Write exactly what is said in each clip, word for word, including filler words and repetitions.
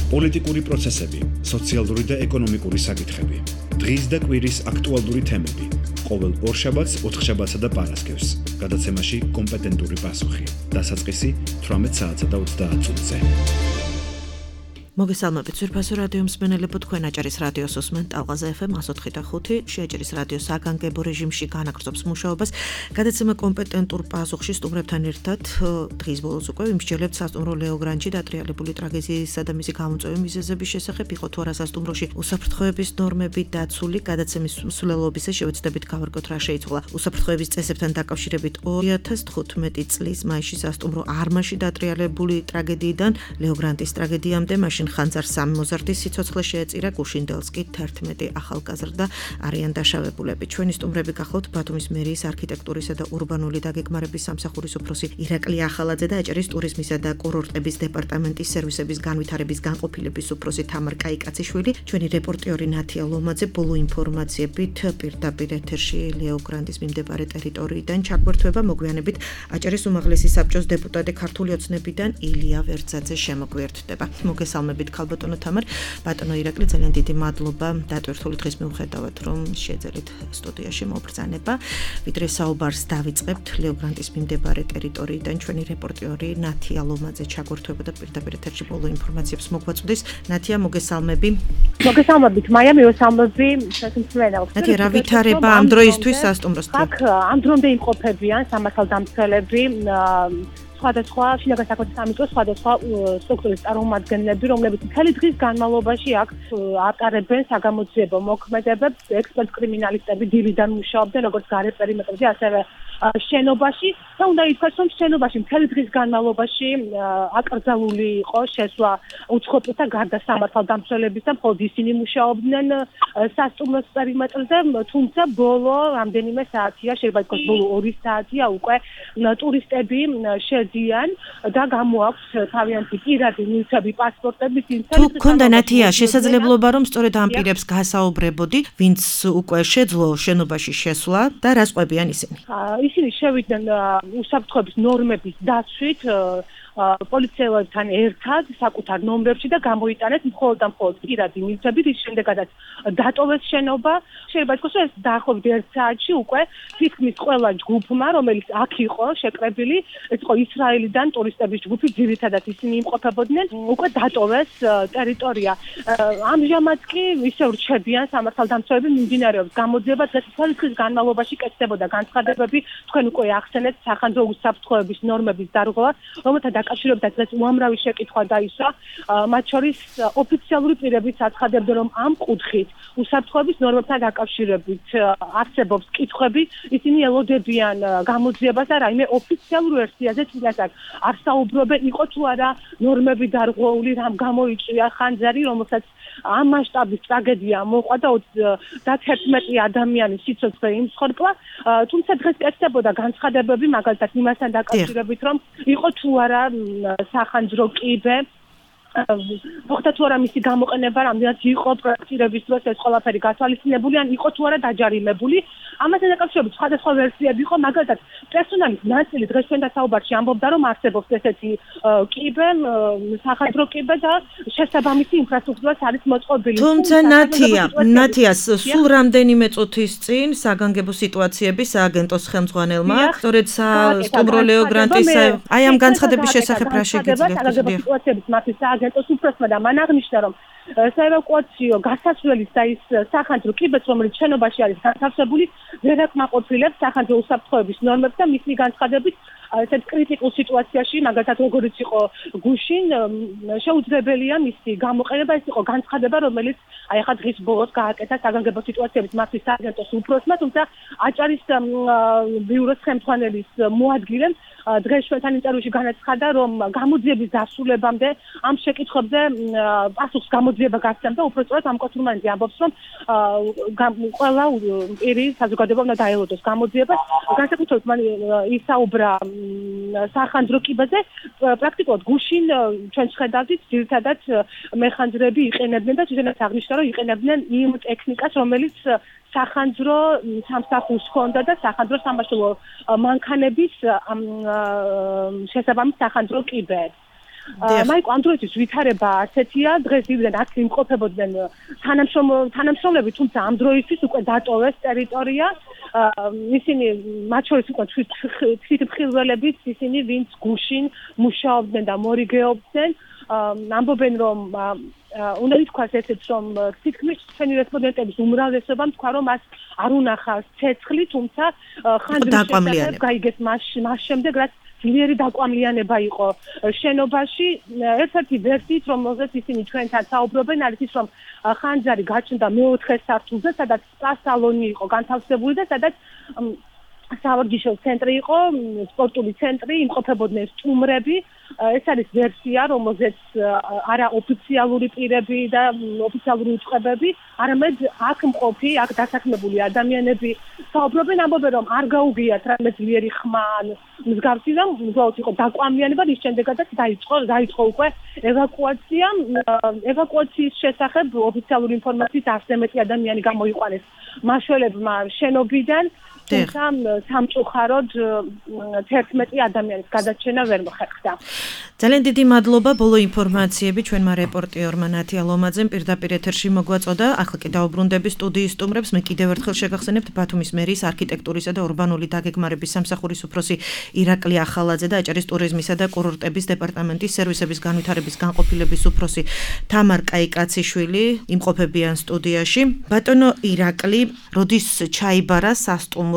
პოლიტიკური პროცესები, სოციალური და ეკონომიკური საკითხები, დღის და კვირის აქტუალური თემები, ყოველ ორშაბათს, ოთხშაბათსა და პარასკევს, გადაცემაში კომპეტენტური პასუხი, დასაწყისი თვრამეტ საათსა და ოცდაათ წუთზე. მოგესალმებით ძვირფასო რადიო მსმენელებო, თქვენ აჭარის რადიოს უსმენთ ტალღაზე ეფ ემ ათი და ხუთი, შეაჭარის რადიო საგანგებო რეჟიმში განაგრძობს მუშაობას. გადაცემა კომპეტენტურ პასუხში სტუმრებთან ერთად დღის ბოლოს უკვე ვიმსჯელებთ სასტუმრო ლეო გრანჩი დატრიალებული ტრაგედიისა და მისი გამოწვევის მიზეზების შესახებ. იყო თუ არა სასტუმროში უსაფრთხოების ნორმები დაცული, გადაცემის მსვლელობისა შევეცდებით გავარკვევთ რა შეიცვალა უსაფრთხოების წესებთან დაკავშირებით ორი ათას თხუთმეტი წლის მაისში სასტუმრო არმაში დატრიალებული ტრაგედიიდან ლეო გრანტის ტრაგედიამდე მაშინ ხანძარ სამი მოზარდის სიცოცხლე შეეწირა, გუშინდელს კი თერთმეტი ახალგაზრდა არიან დაშავებულები. ჩვენი სტუმრები გახლავთ ბათუმის მერიის არქიტექტურისა და ურბანული დაგეგმარების სამსახურის უფროსი ირაკლი ახალაძე და აჭარის ტურიზმისა და კურორტების დეპარტამენტის სერვისების განვითარების განყოფილების უფროსი თამარ კაიკაციშვილი. ჩვენი რეპორტიორი ნათია ლომაძე ბოლო ინფორმაციებით პირდაპირ ეთერში ლეო გრანტის მიმდებარე ტერიტორიიდან ჩაგვერთვება. მოგვიანებით აჭარის უმაღლესი საბჭოს დეპუტატი ქართული ოცნებიდან ილია ვერძაძე შემოგვიერთდება. მოგესალმებით ქალბატონო თამარ, ბატონო ირაკლი, ძალიან დიდი მადლობა დატვირთული დღის მიუხედავად, რომ შეძელით სტუდიაში მობრძანება. ვიდრე საუბარს დავიწყებთ ლეო გრანტის მიმდებარე ტერიტორიიდან, ჩვენი რეპორტიორი ნათია ლომაძე ჩაგვერთვებოდა პირდაპირ ეთერში ბოლო ინფორმაციებს მოგვაწვდის. ნათია, მოგესალმები. მოგესალმებით, მაია, მიესალმები შესაძლებლად. ნათია, რა ვითარება ამ დროისთვის სასტუმროსთან? აქ ამ დრომდე იმყოფებიან სამართალდამცველები, სხვადასხვა შინაგან საქმეთა სამინისტროს სხვადასხვა სტრუქტურის წარმომადგენლები, რომლებიც მთელი დღის განმავლობაში აქ ატარებენ საგამოძიებო მოქმედებებს, ექსპერტ კრიმინალისტები დილიდან მუშაობდნენ როგორც გარე პერიმეტრზე, ასევე შენობაში და უნდა ითქვას, რომ შენობაში მთელი დღის განმავლობაში აკრძალული იყო შესვლა უცხოპლთა გარდა სამართალდამცველების და მხოლოდ ისინი მუშაობდნენ სასტუმროს პერიმეტრზე, თუმცა ბოლო რამდენიმე საათია, შეიძლება ითქვას ბოლო ორი საათია უკვე ტურისტები შედიან და გამოაქვს თავიანთი პირადი ნივთები, პასპორტები, თუ გქონდა ნათია შესაძლებლობა, რომ სწორედ ამ პირებს გასაუბრებოდი, ვინც უკვე შეძლო შენობაში შესვლა და რას ყვებიან ისინი? ისინი შევიდნენ უსაფრთხოების ნორმების დაცვით პოლიციელებთან ერთად საკუთარ ნომრებში და გამოიტანეს მხოლოდ და მხოლოდ პირადი ნივთები, რის შემდეგაც დატოვეს შენობა. შეიძლება ითქვას, რომ ეს დაახლოებით ერთ საათში უკვე თითქმის ყველა ჯგუფმა, რომელიც აქ იყო შეკრებილი, ეს იყო ისრაელიდან ტურისტების ჯგუფი, ძირითადად ისინი იმყოფებოდნენ, უკვე დატოვეს ტერიტორია. ამჟამად კი ისევ რჩებიან სამართალდამცველები, მიმდინარეობს გამოძიება, დღეს მთელი დღის განმავლობაში კეთდებოდა განცხადებები, თქვენ უკვე ახსენეთ სახანძრო უსაფრთხოების ნორმების დარღვევა, რომელთა დაკავშირებით დღეს უამრავი შეკითხვა დაისვა, მათ შორის ოფიციალური პირებიც აცხადებდნენ, რომ ამ კუთხით უსაფრთხოების ნორმებთან დაკავშირებით არსებობს კითხვები, ისინი ელოდებიან გამოძიებას და რაიმე ოფიციალურ ვერსიაზე წინასწარ არ საუბრობენ, იყო თუ არა ნორმები დარღვეული, რამ გამოიწვია ხანძარი, რომელსაც ამ მასშტაბის ტრაგედია მოყვა და თერთმეტი ადამიანის სიცოცხლე იმსხორპლა, თუმცა დღეს კეთდებოდა განცხადებები, მაგალითად იმასთან დაკავშირებით, რომ იყო თუ არა სახანძრო კიბე, მოხდა თუ არა მისი გამოყენება, რამდენად იყო პროექტირების დროს ეს ყველაფერი გათვალისწინებული, ან იყო თუ არა დაჯარიმებული. ამასთან დაკავშირებით სხვადასხვა ვერსიები იყო, მაგალითად პერსონალის ნაწილი დღეს ჩვენ დასაუბარში ამბობდა, რომ არსებობს ესეთი კიბე, სახანძრო კიბე და შესაბამისი ინფრასტრუქტურაც არის მოწყობილი. თუმცა ნათია, ნათიას სულ რამდენიმე წუთის წინ საგანგებო სიტუაციების სააგენტოს ხელმძღვანელმა, სწორედ სასტუმრო ლეო გრანტის აი ამ განცხადების შესახებ რა შეგიძლიათ? ეს უფროსმა და მან აღნიშნა, რომ საევაკუაციო გასასვლელის და ის სახანძრო კიბეც, რომელიც შენობაში არის განთავსებული, ვერ აკმაყოფილებს სახანძრო უსაფრთხოების ნორმებს და მისი განცხადებით ესეთ კრიტიკულ სიტუაციაში, მაგალითად როგორიც იყო გუშინ, შეუძლებელია მისი გამოყენება. ეს იყო განცხადება, რომელიც აი ახლა დღის ბოლოს გააკეთა საგანგებო სიტუაციების მასვის სააგენტოს უფროსმა, თუმცა აჭარის ბიუროს ხელმძღვანელის მოადგილემ დღეს ჩვენთან ინტერვიუში განაცხადა, რომ გამოძიების დასრულებამდე ამ შეკითხვებზე პასუხს გამოძიება გასცემდა, უпростоრად ამ კოთურმანიძე ამბობს, რომ ყველა პირი საზოგადოება უნდა დაელოდოს გამოძიებას. განსაკუთრებით მან ისაუბრა სახანძრო კიბეზე, პრაქტიკულად გუშინ ჩვენ შედავდით, ძირითადად მეხანძრები იყენებდნენ და თვითონაც აღნიშნა, რომ იყენებდნენ იმ ტექნიკას, რომელიც სახანძრო სამსახურს ჰქონდა და სახანძრო სამაშველო მანქანების შესაბამის სახანძრო კიბეებს. მაიკო ამ დროისთვის ვითარება ასეთია, დღეს ივიდან აქ იმყოფებოდნენ თანამშრომლები, თუმცა ამ დროისთვის უკვე დატოვეს ტერიტორია. ისინი მათ შორის უკვე თვითმხილველებიც, ისინი ვინც გუშინ მუშაობდნენ და მორიგეობდნენ, ამბობენ რომ უნდა ითქვას ესეც რომ თითქმის ჩვენი რესპონდენტების უმრავლესობამ თქვა რომ მას არ უნახავს ცეცხლი, თუმცა ხანძრის გაიგეს მას შემდეგ რაც ძლიერი დაკვამლიანება იყო შენობაში. ერთ-ერთი ვერსიით რომელზეც ისინი ჩვენთან საუბრობენ არის ის რომ ხანძარი გაჩნდა მეოთხე სართულზე, სადაც სპა-სალონი იყო განთავსებული და სადაც სავარჯიშო ცენტრი იყო, სპორტული ცენტრი, იმყოფებოდნენ სტუმრები. ეს არის ვერსია, რომელზეც არა ოფიციალური პირები და ოფიციალური უწყებები, არამედ აქ მყოფი, აქ დასაქმებული ადამიანები საუბრობენ, ამბობენ რომ არ გაუგიათ რამე ძლიერი ხმა ან მსგავსი და უბრალოდ იყო დაკვამლიანება, რის შემდეგაც დაიწყო დაიწყო უკვე ევაკუაცია. ევაკუაციის შესახებ ოფიციალური ინფორმაციით არც მეტი ადამიანი გამოიყვანეს მაშველებმა შენობიდან, თუმცა სამწუხაროდ თერთმეტი ადამიანის გადარჩენა ვერ მოხერხდა. ძალიან დიდი მადლობა ბოლო ინფორმაციები ჩვენმა რეპორტიორმა ნათია ლომაძემ პირდაპირ ეთერში მოგვაწოდა. ახლა კი დაუბრუნდები სტუდიის სტუმრებს. მე კიდევ ერთხელ შეგახსენებთ ბათუმის მერის არქიტექტურისა და ურბანული დაგეგმარების სამსახურის უფროსი ირაკლი ახალაძე და აჭარის ტურიზმისა და კურორტების დეპარტამენტის სერვისების განვითარების განყოფილების უფროსი თამარ კაიკაციშვილი იმყოფებიან სტუდიაში. ბატონო ირაკლი, როდის ჩაიბარა სასტუმრო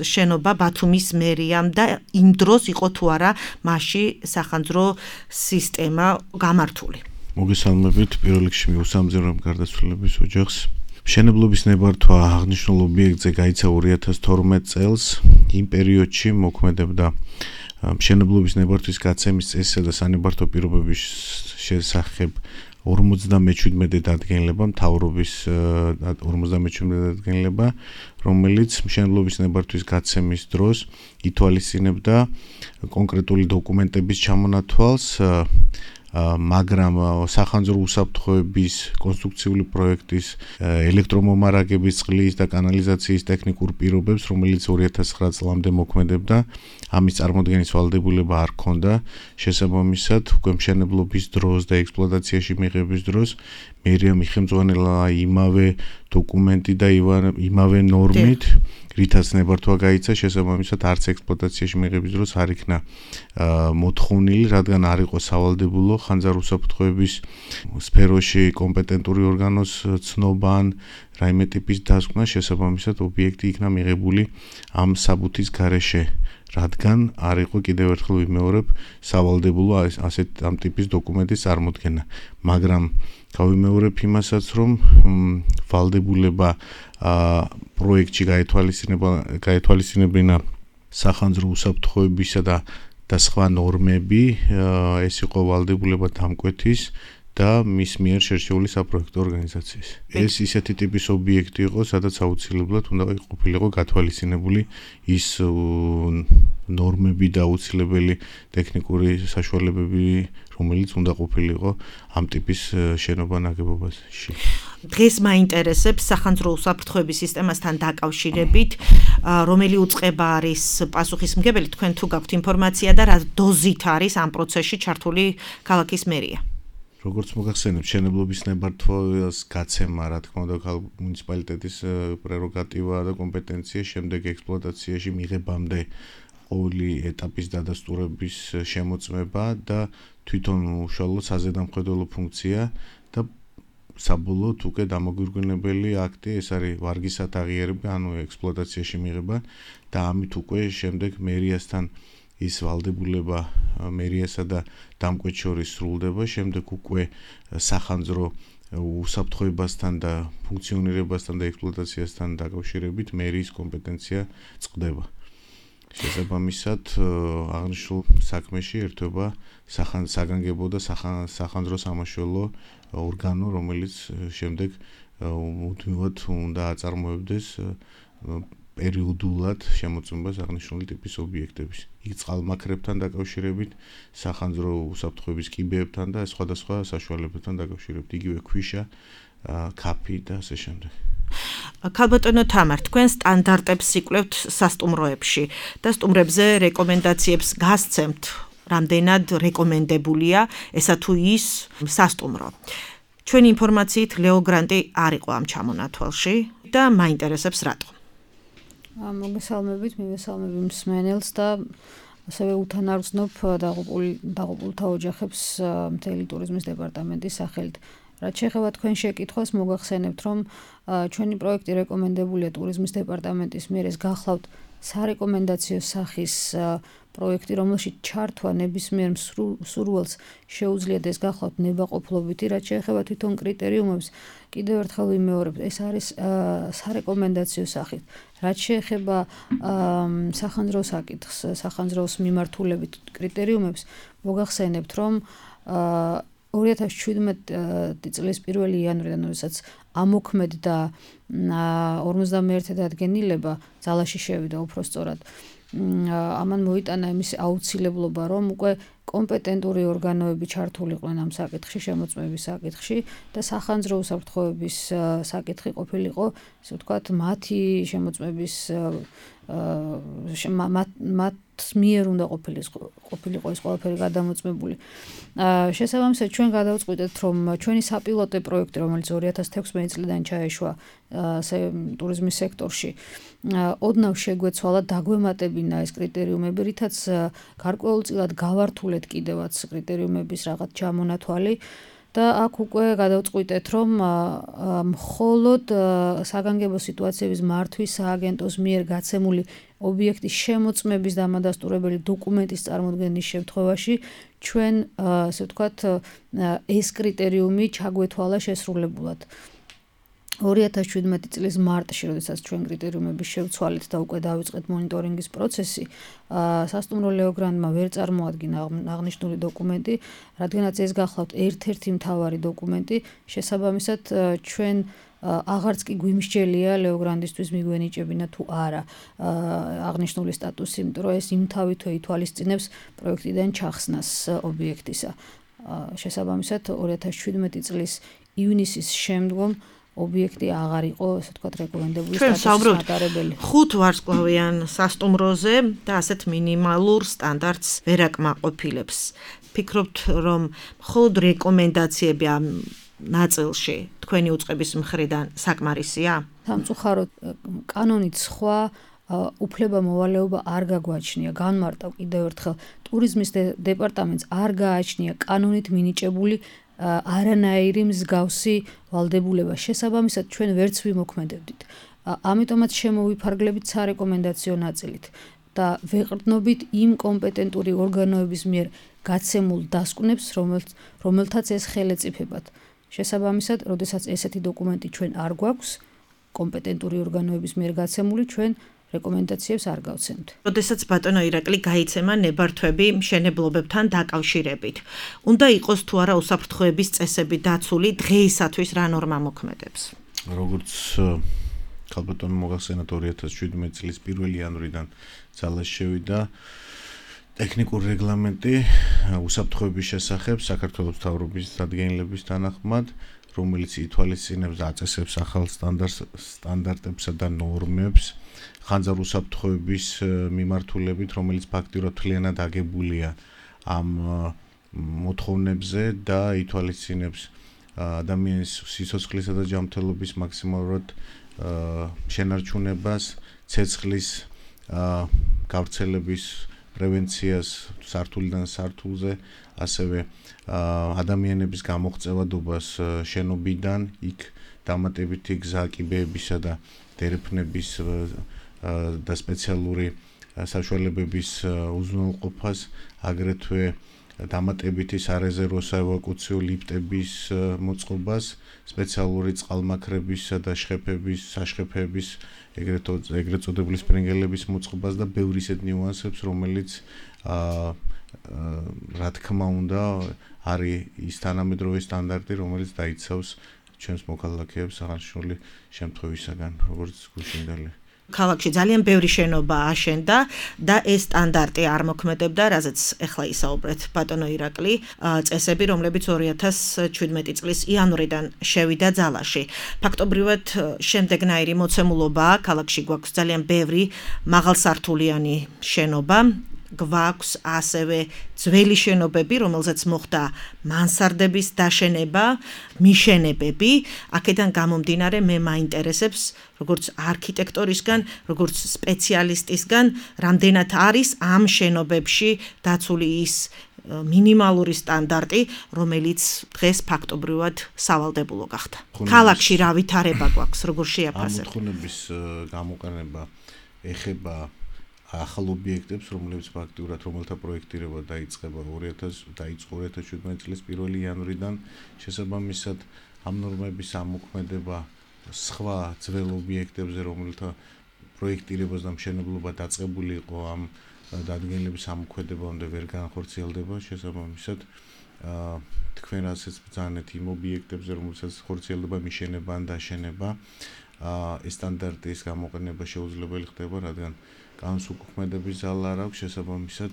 შენობა ბათუმის მერიამ და იმ დროს იყო თუ არა მასში სახანძრო სისტემა გამართული? მოგესალმებით, პირველ რიგში მიუსამძიმრებ გარდაცვლილების ოჯახს. მშენებლობის ნებართვა აღნიშნულ ობიექტზე გაიცა ორი ათას თორმეტ წელს. იმ პერიოდში მოქმედებდა მშენებლობის ნებართვის გაცემის წესისა და სანებართვო პირობების შესახებ ორმოცდამეჩვიდმეტე დადგენილება, მთავრობის ორმოცდამეჩვიდმეტე დადგენილება, რომელიც მშენებლობის ნებართვის გაცემის დროს ითვალისწინებდა კონკრეტული დოკუმენტების ჩამონათვალს, მაგრამ სახანძრო უსაფრთხოების კონსტრუქციული პროექტის ელექტრომომარაგების, წყლის და კანალიზაციის ტექნიკურ პირობებს, რომელიც ორი ათას ცხრა წლამდე მოქმედებდა, ამის წარმოდგენის ვალდებულება არ ჰქონდა. შესაბამისად, უკვე მშენებლობის დროს და ექსპლუატაციაში მიღების დროს მერია მიხემძღვანელა იმავე დოკუმენტი და იმავე ნორმით, რითაც ნებართვა გაიცა, შესაბამისად არც ექსპლუატაციაში მიღების დროს არ იქნა მოთხოვნილი, რადგან არ იყო სავალდებულო ხანძარ უსაფრთხოების სფეროში კომპეტენტური ორგანოს ცნობა ან რაიმე ტიპის დასკვნა, შესაბამისად ობიექტი იქნა მიღებული ამ საბუთის გარეშე, რადგან არ იყო კიდევ ერთხელ ვიმეორებ სავალდებულო ასეთ ამ ტიპის დოკუმენტის წარმოდგენა. მაგრამ გავიმეორებ იმასაც, რომ ვალდებულება პროექტში გაეთვალისწინებინა სახანძრო უსაფრთხოებისა და და სხვა ნორმები, ეს იყო ვალდებულება დამკვეთის და მის მიერ შერჩეული საპროექტო ორგანიზაციის. ეს ისეთი ტიპის ობიექტი იყო, სადაც აუცილებლად უნდა ყოფილიყო გათვალისწინებული ის ნორმები და აუცილებელი ტექნიკური საშუალებები, რომელიც უნდა ყოფილიყო ამ ტიპის შენობა ნაგებობაში. დღეს მაინტერესებს სახანძრო უსაფრთხოების სისტემასთან დაკავშირებით, რომელი უწყება არის პასუხისმგებელი, თქვენ თუ გაქვთ ინფორმაცია და რა დოზით არის ამ პროცესში ჩართული ქალაქის მერია? როგორც მოგახსენებთ, მშენებლობის ნებართვას გაცემა, რა თქმა უნდა, მუნიციპალიტეტის პრეროგატივაა და კომპეტენცია, შემდეგ ექსპლუატაციაში მიღებამდე ყოველი ეტაპის დადასტურების შემოწმება და თვითონ უშუალოდ საზედამხედველო ფუნქცია და საბოლოოდ უკვე დამოგვირგვინებელი აქტი, ეს არის ვარგისად აღიარება, ანუ ექსპლუატაციაში მიღება და ამით უკვე შემდეგ მერიასთან ის ვალდებულება მერიასა და დამკვეთ შორის სრულდება, შემდეგ უკვე სახანძრო უსაფრთხოებასთან და ფუნქციონირებასთან და ექსპლუატაციასთან დაკავშირებით მერიის კომპეტენცია წყდება. შესაბამისად, აღნიშნულ საქმეში ერთვება საგანგებო და სახანძრო სამაშველო ორგანო, რომელიც შემდეგ მუდმივად უნდა აწარმოებდეს პერიოდულად შემოწმებას აღნიშნული ტიპის ობიექტების. იქ წყალმაქრებთან დაკავშირებით, სახანძრო უსაფრთხოების კიბეებთან და სხვადასხვა საშუალებებთან დაკავშირებით, იგივე ქვიშა, ქაფი და ასე შემდეგ. ქალბატონო თამარ, თქვენ სტანდარტებს იკვლევთ სასტუმროებში და სტუმრებზე რეკომენდაციებს გასცემთ რამდენად რეკომენდებულია ესა თუ ის სასტუმრო. ჩვენი ინფორმაციით ლეო გრანტი არ იყო ამ ჩამონათვალში და მაინტერესებს რატო. მოგესალმებით, მივესალმები მსმენელს და ასევე უთანარგზნობ დაღუპულთა ოჯახებს მთელი ტურიზმის დეპარტამენტის სახელით. რაც შეეხება თქვენ შეკითხვას, მოგახსენებთ, რომ ჩვენი პროექტი რეკომენდებულია ტურიზმის დეპარტამენტის მიერ, ეს გახლავთ სარეკომენდაციო სახის პროექტი, რომელშიც ჩართვა ნებისმიერ მსურველს შეუძლიათ ეს გახლავთ ნებაყოფლობითი, რაც შეეხება თვითონ კრიტერიუმებს, კიდევ ერთხელ ვიმეორებ, ეს არის სარეკომენდაციო სახით. რაც შეეხება სახანძრო საკითხს, სახანძროს მიმართულებით კრიტერიუმებს, მოგახსენებთ, რომ ორი ათას შვიდმეტი წლის პირველი იანვრიდან, როდესაც ამოქმედდა ორმოცდამეერთე დადგენილება, ძალაში შევიდა უпростоრად. ამან მოიტანა იმის აუცილებლობა, რომ უკვე კომპეტენტური ორგანოები ჩართულიყვნენ ამ საკითხში, შემოწმების საკითხში და სახანძრო უსაფრთხოების საკითხი ყოფილიყო, ასე ვთქვათ, მათი შემოწმების მათ მიერ უნდა ყოფილიყო ეს ყველაფერი გადამოწმებული. შესაბამისად, ჩვენ გადავწყვიტეთ, რომ ჩვენი საპილოტო პროექტი, რომელიც ორი ათას თექვსმეტი წლიდან ჩაეშვა ტურიზმის სექტორში, ოდნავ შეგვეცვალა დაგვემატებინა ეს კრიტერიუმები, რითაც გარკვეულწილად გავართულეთ კიდევაც კრიტერიუმების რაღაც ჩამონათვალი და აქ უკვე გადავწყვიტეთ, რომ მხოლოდ საგანგებო სიტუაციების მართვის სააგენტოს მიერ გაცემული ობიექტის შემოწმების დამადასტურებელი დოკუმენტის წარმოდგენის შემთხვევაში ჩვენ, ასე ვთქვათ, ეს კრიტერიუმი ჩაგვეთვალა შესრულებულად. ორი ათას შვიდმეტი წლის მარტში, როდესაც ჩვენ კრიტერიუმები შევცვალეთ და უკვე დავიწყეთ მონიტორინგის პროცესი, სასტუმრო ლეო გრანტმა ვერ წარმოადგინა აღნიშნული დოკუმენტი, რადგანაც ეს გახლავთ ერთ-ერთი მთავარი დოკუმენტი, შესაბამისად ჩვენ აღარც კი გვიმსჯელია ლეო გრანტისთვის მიგვენიჭებინა თუ არა აღნიშნული სტატუსი, იმიტომ რომ ეს იმთავითვე ითვალისწინებს პროექტიდან ჩახსნას ობიექტისა. შესაბამისად ორი ათას შვიდმეტი წლის ივნისის შემდგომ ობიექტი აღარ იყო, ასე ვთქვათ, რეკომენდებული სტატუსის მატარებელი. ხუთ ვარსკვლავიან სასტუმროზე და ასეთ მინიმალურ სტანდარტს ვერ აკმაყოფილებს. ფიქრობთ, რომ მხოლოდ რეკომენდაციები ამ ნაწილში თქვენი უწყების მხრიდან საკმარისია? სამწუხაროდ, კანონით სხვა უფლება მოვალეობა არ გაგვაჩნია. განმარტავ კიდევ ერთხელ, ტურიზმის დეპარტამენტს არ გააჩნია კანონით მინიჭებული არანაირი მსგავსი ვალდებულება. შესაბამისად, ჩვენ ვერც ვიმოქმედებდით. ამიტომაც შემოვიფარგლებით სარეკომენდაციო ნაწილით და ვეყრდნობით იმ კომპეტენტური ორგანოების მიერ გაცემულ დასკვნებს, რომელთაც ეს ხელეწიფებათ. შესაბამისად, როდესაც ესეთი დოკუმენტი ჩვენ არ გვაქვს, კომპეტენტური ორგანოების მიერ გაცემული, ჩვენ რეკომენდაციებს არ გავცემთ. როდესაც ბატონო ირაკლი გაიცემა ნებართვები მშენებლობებთან დაკავშირებით, უნდა იყოს თუ არა უსაფრთხოების წესები დაცული დღეისათვის რა ნორმა მოქმედებს? როგორც ქალბატონო მოგახსენათ ორი ათას შვიდმეტი წლის პირველი იანვრიდან ძალაში შევიდა ტექნიკური რეგლამენტი უსაფრთხოების შესახებ საქართველოს მთავრობის დადგენილების თანახმად, რომელიც ითვალისწინებს და აწესებს ახალ სტანდარტებსა და ნორმებს ხანძარ უსაფრთხოების მიმართულებით, რომელიც ფაქტიურად მთლიანად აგებულია ამ მოთხოვნებზე და ითვალისწინებს ადამიანის სიცოცხლისა და ჯანმრთელობის მაქსიმალურად შენარჩუნებას, ცეცხლის გავრცელების პრევენციას სართულიდან სართულზე, ასევე ადამიანების გამოღწევადობას შენობიდან, იქ დამატებითი გზა კიბეებისა და დერეფნების და სპეციალური საშუალებების უზრუნველყოფას, აგრეთვე დამატებითი სარეზერვო საევაკუაციო ლიფტების მოწყობას, სპეციალური წყალმაქრებისა და შხეფების, საშხეფების, ეგრეთ წოდებული სპრინგელების მოწყობას და ბევრი ისეთ ნიუანსებს, რომელიც რა თქმა უნდა არის ის თანამედროვე სტანდარტი, რომელიც დაიცავს ჩვენს მოქალაქეებს აღნიშნული შემთხვევისაგან, როგორც გუშინდელი. ქალაქში ძალიან ბევრი შენობა აშენდა და ეს სტანდარტი არ მოქმედებდა, რაზეც ახლა ისაუბრეთ ბატონო ირაკლი, წესები, რომლებიც ორი ათას შვიდმეტი წლის იანვრიდან შევიდა ძალაში. ფაქტობრივად შემდეგნაირი მოცემულობაა, ქალაქში გვაქვს ძალიან ბევრი მაღალსართულიანი შენობა, გვაქვს ასევე ძველი შენობები, რომელზეც მოხდა მანსარდების დაშენება, მიშენებები. აქედან გამომდინარე მე მაინტერესებს, როგორც არქიტექტორისგან, როგორც სპეციალისტისგან, რამდენად არის ამ შენობებში დაცული ის მინიმალური სტანდარტი, რომელიც დღეს ფაქტობრივად სავალდებულო გახდა. ქალაქში რა ვითარება გვაქვს, როგორ შეაფასებთ? ამ მოთხოვნების გამოყენება ეხება ახალ ობიექტებს, რომლებიც ფაქტიურად რომელთა პროექტირება დაიწყება ორი ათას დაიწყო ორი ათას შვიდმეტი წლის პირველი იანვრიდან, შესაბამისად ამ ნორმების ამოქმედება სხვა ძველ ობიექტებზე, რომელთა პროექტირებას და მშენებლობა დაწყებული იყო ამ დადგენილების ამოქმედებამდე ვერ განხორციელდება, შესაბამისად თქვენ ასეც ბრძანეთ იმ ობიექტებზე, რომელსაც ხორციელდება მიშენება ან დაშენება, ეს სტანდარტის გამოყენება შეუძლებელი ხდება, რადგან კანონს უკუქმედების ძალა არ აქვს, შესაბამისად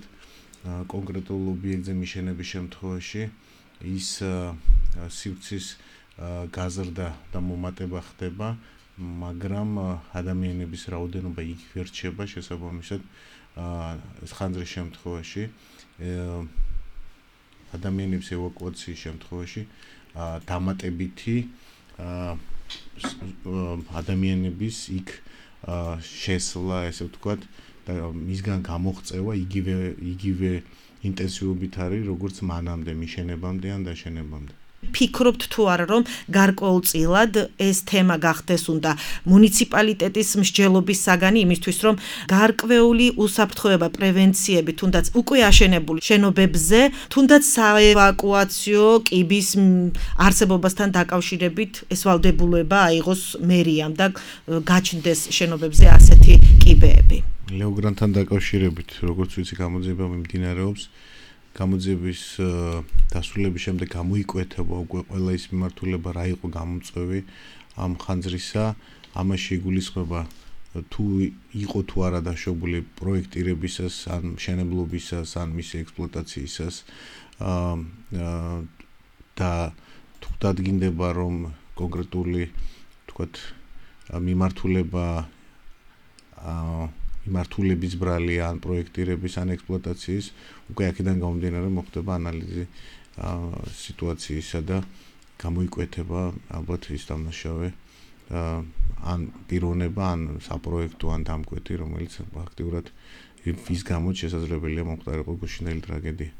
კონკრეტულ ობიექტზე მიშენების შემთხვევაში ის სივრცის გაზრდა და მომატება ხდება, მაგრამ ადამიანების რაოდენობა იგივე რჩება, შესაბამისად ხანძრის შემთხვევაში ადამიანების ევაკუაციის შემთხვევაში დამატებითი ადამიანების იქ შესვლა, ესე ვთქვათ, და მისგან გამოღწევა იგივე იგივე ინტენსივობით არის, როგორც მანამდე მიშენებამდე ან დაშენებამდე. ფიქრობთ თუ არა, რომ გარკვეულწილად ეს თემა გახდეს უნდა მუნიციპალიტეტის მსჯელობის საგანი იმისთვის, რომ გარკვეული უსაფრთხოება პრევენციები, თუნდაც უკვე აშენებული შენობებზე, თუნდაც საევაკუაციო კიბის არსებობასთან დაკავშირებით ეს ვალდებულება აიღოს მერიამ და გაჩნდეს შენობებზე ასეთი კიბეები. ლეოგრანთან დაკავშირებით, როგორც ვიცი, გამოძიება მიმდინარეობს. გამოძიების დასრულების შემდეგ გამოიკვეთება უკვე ყველა ის მიმართულება, რა იყო გამომწვევი ამ ხანძრისა, ამაში იგულისხმება თუ იყო თუ არა დაშვებული პროექტირებისას, ან მშენებლობისას, ან მისი ექსპლუატაციისას და თუ დადგინდება, რომ კონკრეტული, თქვათ, მიმართულება მიმართულების ბრალი ან პროექტირების ან ექსპლუატაციის, უკვე აქედან გამომდინარე მოხდება ანალიზი სიტუაციისა და გამოიკვეთება ალბათ ის დამნაშავე ან პიროვნება, ან საპროექტო, ან დამკვეთი, რომელიც ფაქტიურად ის გამოც შესაძლებელია მომხდარიყო გუშინდელი ტრაგედია.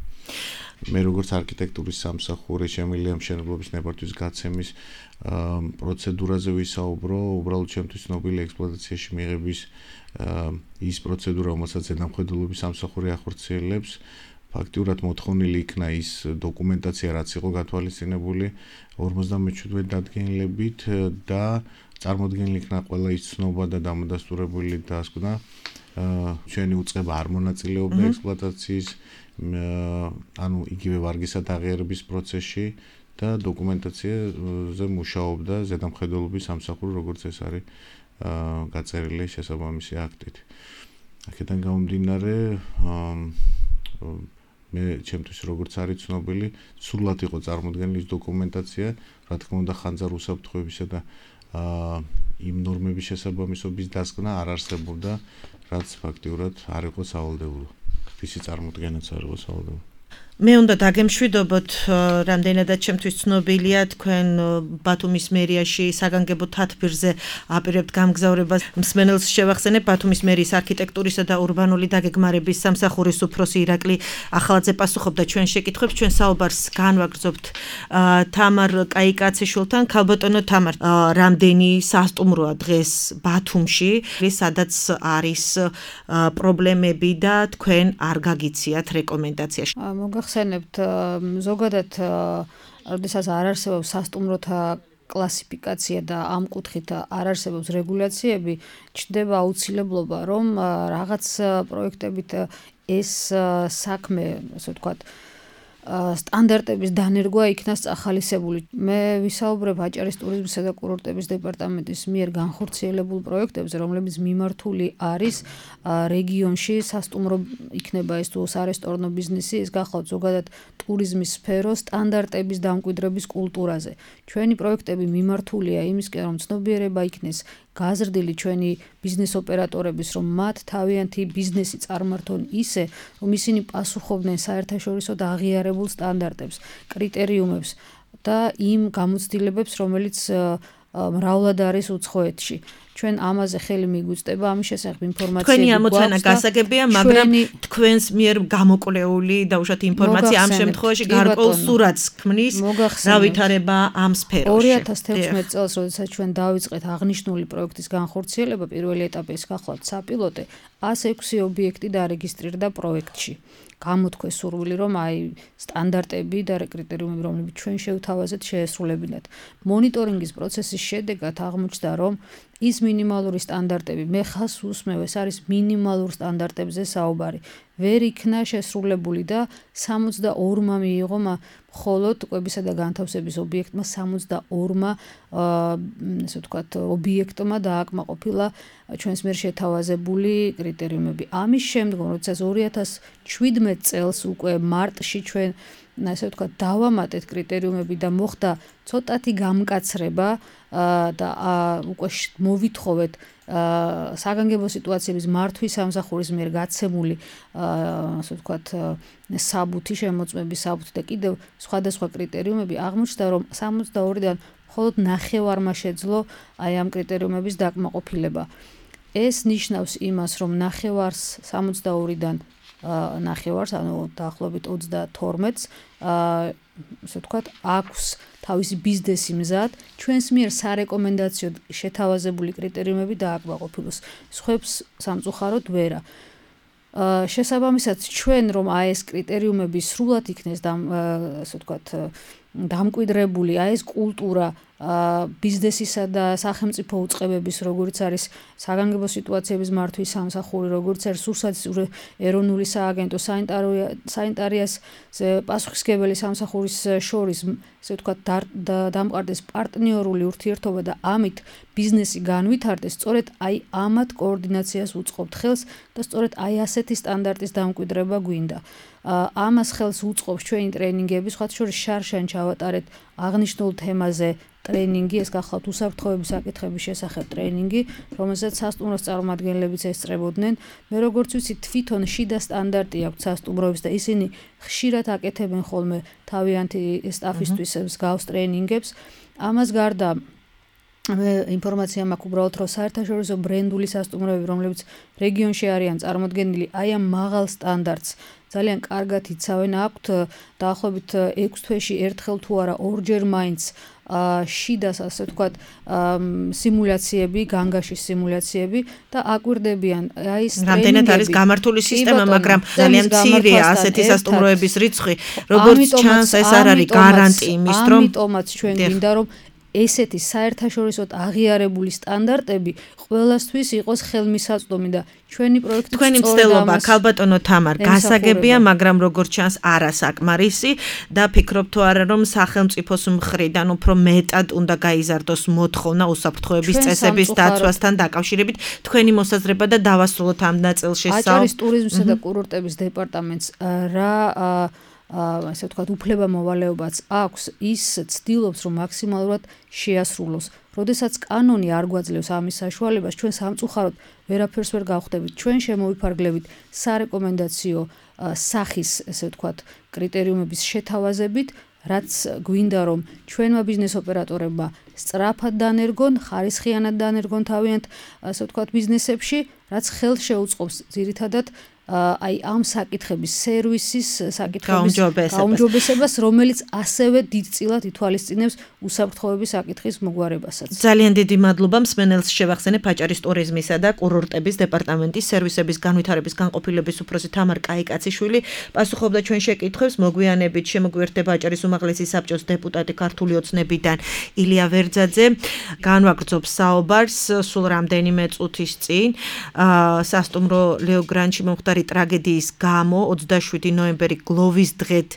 მე როგორც არქიტექტურის სამსახური შემიძლია მშენებლობის ნებართვის გაცემის პროცედურაზე ვისაუბრო, უბრალოდ ჩემთვის ცნობილი ექსპლუატაციაში მიღების ის პროცედურა, რომელსაც ზედამხედველობის სამსახური ახორციელებს, ფაქტიურად მოთხოვნილი იქნა ის დოკუმენტაცია, რაც იყო გათვალისწინებული ორმოცდამეჩვიდმეტ დადგენილებით და წარმოდგენილი იქნა ყველა ის ცნობა და დამადასტურებელი დასკვნა, ჩვენი უწყება არ მონაწილეობდა ექსპლუატაციის, ანუ იგივე ვარგისად აღიარების პროცესში და დოკუმენტაციაზე მუშაობდა ზედამხედველობის სამსახური, როგორც ეს არის გაწერილი შესაბამისი აქტით. აქედან გამომდინარე, მე ჩემთვის როგორც არის ცნობილი, სრულად იყო წარმოდგენილი ის დოკუმენტაცია, რა თქმა უნდა, ხანძარ უსაფრთხოებისა და იმ ნორმების შესაბამისობის დასკვნა არ არსებობდა, რაც ფაქტიურად არ იყო სავალდებულო. ვისი წარმოდგენაც არ იყო სავალდებულო. მე უნდა დაგემშვიდობოთ, რამდენადაც ჩემთვის ცნობილია, თქვენ ბათუმის მერიაში საგანგებო თათბირზე აპირებთ გამგზავრებას. მსმენელს შევახსენებ, ბათუმის მერიის არქიტექტურისა და ურბანული დაგეგმარების სამსახურის უფროსი ირაკლი ახალაძე პასუხობდა ჩვენ შეკითხვებს. ჩვენ საუბარს განვაგრძობთ თამარ კაიკაციშვილთან. ქალბატონო თამარ, რამდენი სასტუმროა დღეს ბათუმში, სადაც არის პრობლემები და თქვენ არ გაგიციათ რეკომენდაცია? ხსენებთ ზოგადად, როდესაც არ არსებობს სასტუმროთა კლასიფიკაცია და ამ კუთხით არ არსებობს რეგულაციები, ჩნდება აუცილებლობა, რომ რაღაც პროექტებით ეს საქმე, ასე ვთქვათ, სტანდარტების დანერგვა იქნას წახალისებული. მე ვისაუბრებ აჭარის ტურიზმისა და კურორტების დეპარტამენტის მიერ განხორციელებულ პროექტებზე, რომლებიც მიმართული არის რეგიონში სასტუმრო იქნება ეს თუ სარესტორნო ბიზნესი, ეს გახლავთ ზოგადად ტურიზმის სფეროს სტანდარტების დამკვიდრების კულტურაზე. ჩვენი პროექტები მიმართულია იმისკენ, რომ ცნობიერება იქნეს გაზრდილი ჩვენი ბიზნეს ოპერატორების, რომ მათ თავიანთი ბიზნესი წარმართონ ისე, რომ ისინი პასუხობდნენ საერთაშორისო და აღიარებულ სტანდარტებს, კრიტერიუმებს და იმ გამოცდილებებს, რომელიც მრავლად არის უცხოეთში. ჩვენ ამაზე ხელი მიგვიწდება, ამის შესახებ ინფორმაციები გვაქვს. თქვენი ამოცანა გასაგებია, მაგრამ თქვენს მიერ გამოკვლეული და უშუალოდ ინფორმაცია ამ შემთხვევაში გარკვეულ სურათს ქმნის, რა ვითარება ამ სფეროში. ორი ათას თექვსმეტ წელს, როდესაც ჩვენ დავიწყეთ აღნიშნული პროექტის განხორციელება, პირველი ეტაპი ის გახლავთ საპილოტე, ას ექვსი ობიექტი დარეგისტრირდა პროექტში. გამოთქვეს სურვილი, რომ აი სტანდარტები და კრიტერიუმები, რომლებიც ჩვენ შევთავაზეთ, შეესრულებინათ. მონიტორინგის პროცესის შედეგად აღმოჩნდა, რომ ის მინიმალური სტანდარტები, მე ხას უსმევ, ეს არის მინიმალურ სტანდარტებზე საუბარი. ვერ იქნა შესრულებული და სამოცდაორმა მიიღო მხოლოდ კვებისა და განთავსების ობიექტმა სამოცდაორმა ესე ვთქვათ ობიექტმა დააკმაყოფილა ჩვენს მიერ შეთავაზებული კრიტერიუმები. ამის შემდგომ, როდესაც ორი ათას შვიდმეტ წელს უკვე მარტში ჩვენ ასე ვთქვათ დავამატეთ კრიტერიუმები და მოხდა ცოტათი გამკაცრება და უკვე მოვითხოვეთ საგანგებო სიტუაციების მართვის სამსახურის მიერ გაცემული ასე ვთქვათ საბუთი, შემოწმების საბუთი და კიდევ სხვადასხვა კრიტერიუმები, აღმოჩნდა, რომ სამოცდაორიდან მხოლოდ ნახევარმა შეძლო აი ამ კრიტერიუმების დაკმაყოფილება. ეს ნიშნავს იმას, რომ ნახევარს სამოცდაორიდან ნახევარს, ანუ დაახლოებით ოცდათორმეტს ასე ვთქვათ აქვს თავისი ბიზნესი მზად, ჩვენს მიერ სარეკომენდაციო შეთავაზებული კრიტერიუმები დააკმაყოფილოს. სხვებს სამწუხაროდ ვერა. შესაბამისად, ჩვენ რომ აი ეს კრიტერიუმები სრულად იქნეს და ასე ვთქვათ დამკვიდრებული, აი ეს კულტურა ბიზნესისა და სახელმწიფო უწყებების, როგორც არის საგანგებო სიტუაციების მართვის სამსახური, როგორც არის სურსათის ეროვნული სააგენტო, სანიტარიას პასუხისმგებელი სამსახურის შორის, ასე ვთქვათ, დამყარდეს პარტნიორული ურთიერთობა და ამით ბიზნესი განვითარდეს, სწორედ აი ამათ კოორდინაციას უწყობთ ხელს და სწორედ აი ასეთი სტანდარტის დამკვიდრება გვინდა. ამას ხელს უწყობს ჩვენი ტრენინგები, სხვათა შორის შარშან ჩავატარეთ აღნიშნულ თემაზე ტრენინგი, ეს გახლავთ უსაფრთხოების საკითხების შესახებ ტრენინგი, რომელსაც სასტუმროს წარმომადგენლებიც ესწრებოდნენ. მე როგორც ვიცი, თვითონ შიდა სტანდარტი აქვს სასტუმროების და ისინი ხშირად აკეთებენ ხოლმე თავიანთი სტაფისთვის მსგავს ტრენინგებს. ამას გარდა მე ინფორმაცია მაქვს უბრალოდ, რომ საერთაშორისო ბრენდული სასტუმროები, რომლებიც რეგიონში არიან წარმოდგენილი, აი ამ მაღალ სტანდარტს ძალიან კარგად იცავენ, აქვთ დაახლოებით ექვს თვეში ერთხელ თუ არა ორჯერ მაინც შიდას, ასე ვთქვათ, სიმულაციები, განგაშის სიმულაციები და აკვირდებიან აი ეს ტრენინგები. რამდენად არის გამართული სისტემა, მაგრამ ძალიან მცირეა ასეთი სასტუმროების რიცხვი, როგორც ჩანს, ეს არ არის გარანტი იმის, რომ ამიტომაც ჩვენ გვინდა, რომ ესეთი საერთაშორისოდ აღიარებული სტანდარტები ყველასთვის იყოს ხელმისაწვდომი და ჩვენი პროექტი თქვენი მცდელობა, ქალბატონო თამარ, გასაგებია, მაგრამ როგორც ჩანს არასაკმარისი და ფიქრობ თუ არა, რომ სახელმწიფოს მხრიდან უფრო მეტად უნდა გაიზარდოს მოთხოვნა უსაფრთხოების წესების დაცვასთან დაკავშირებით. თქვენი მოსაზრება და დავასრულოთ ამ ნაწილში. აჭარის ტურიზმისა და კურორტების დეპარტამენტს რა ასე ვთქვათ, უფლება მოვალეობაც აქვს, ის ცდილობს, რომ მაქსიმალურად შეასრულოს. როდესაც კანონი არ გვაძლევს ამის საშუალებას, ჩვენ სამწუხაროდ ვერაფერს ვერ გავხდებით. ჩვენ შემოვიფარგლებით სარეკომენდაციო სახის, ასე ვთქვათ, კრიტერიუმების შეთავაზებით, რაც გვინდა, რომ ჩვენმა ბიზნეს ოპერატორებმა სწრაფად დანერგონ, ხარისხიანად დანერგონ თავიანთ, ასე ვთქვათ, ბიზნესებში, რაც ხელს შეუწყობს ძირითადად აი ამ საკითხების სერვისის საკითხების გაუმჯობესებას, რომელიც ასევე დიდწილად ითვალისწინებს უსაფრთხოების საკითხის მოგვარებასაც. ძალიან დიდი მადლობა მსმენელს შევახსენებ აჭარის ტურიზმისა და კურორტების დეპარტამენტის სერვისების განვითარების განყოფილების უფროსი თამარ კაიკაციშვილი პასუხობდა ჩვენ შეკითხვებს. მოგვიანებით შემოგვიერთდება აჭარის უმაღლესი საბჭოს დეპუტატი ქართული ოცნებიდან ილია ვერძაძე. განვაგრძობს საუბარს სულ რამდენიმე წუთის წინ სასტუმრო ლეოგრანჩი მომხდარი მომხდარი ტრაგედიის გამო ოცდაშვიდი ნოემბერი გლოვის დღედ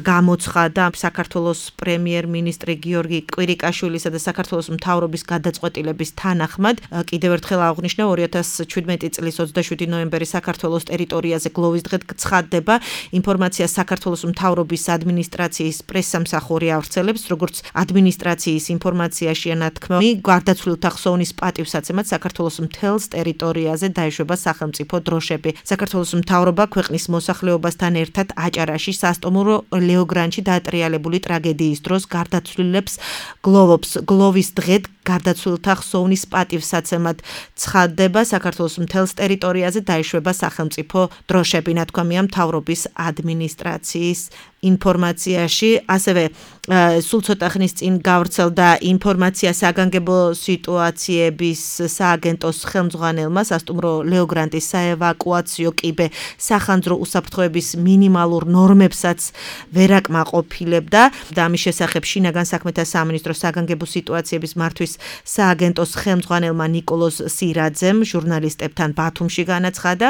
გამოცხადა საქართველოს პრემიერ-მინისტრი გიორგი კვირიკაშვილისა და საქართველოს მთავრობის გადაწყვეტილების თანახმად. კიდევ ერთხელ აღნიშნა ორი ათას შვიდმეტი წლის ოცდაშვიდი ნოემბერი საქართველოს ტერიტორიაზე გლოვის დღედ ცხადდება. ინფორმაცია საქართველოს მთავრობის ადმინისტრაციის პრესსამსახური ავრცელებს, როგორც ადმინისტრაციის ინფორმაციაშია ნათქმული, გარდაცვლილთა ხსოვნის პატივსაცემად საქართველოს მთელს ტერიტორიაზე დაეშვება სახელმწიფო დროშები. საქართველოს მთავრობა ქვეყნის მოსახლეობასთან ერთად აჭარაში სასტუმრო ლეოგრანჩი დაატრიალებული ტრაგედიის დროს გარდაცვლილებს გლოვობს. გლოვის დღედ გარდაცვლილთა ხსოვნის პატივსაცემად ცხადდება საქართველოს მთელს ტერიტორიაზე დაეშვება სახელმწიფო დროშები, ნათქვამია მთავრობის ადმინისტრაციის ინფორმაციაში. ასევე სულ ცოტა ხნის წინ გავრცელდა ინფორმაცია საგანგებო სიტუაციების სააგენტოს ხელმძღვანელმა სასტუმრო ლეოგრანტის საევაკუაციო კიბე სახანძრო უსაფრთხოების მინიმალურ ნორმებსაც ვერ აკმაყოფილებდა და ამის შესახებ შინაგან საქმეთა სამინისტროს საგანგებო სიტუაციების მართვის სააგენტოს ხელმძღვანელმა ნიკოლოზ სირაძემ ჟურნალისტებთან ბათუმში განაცხადა,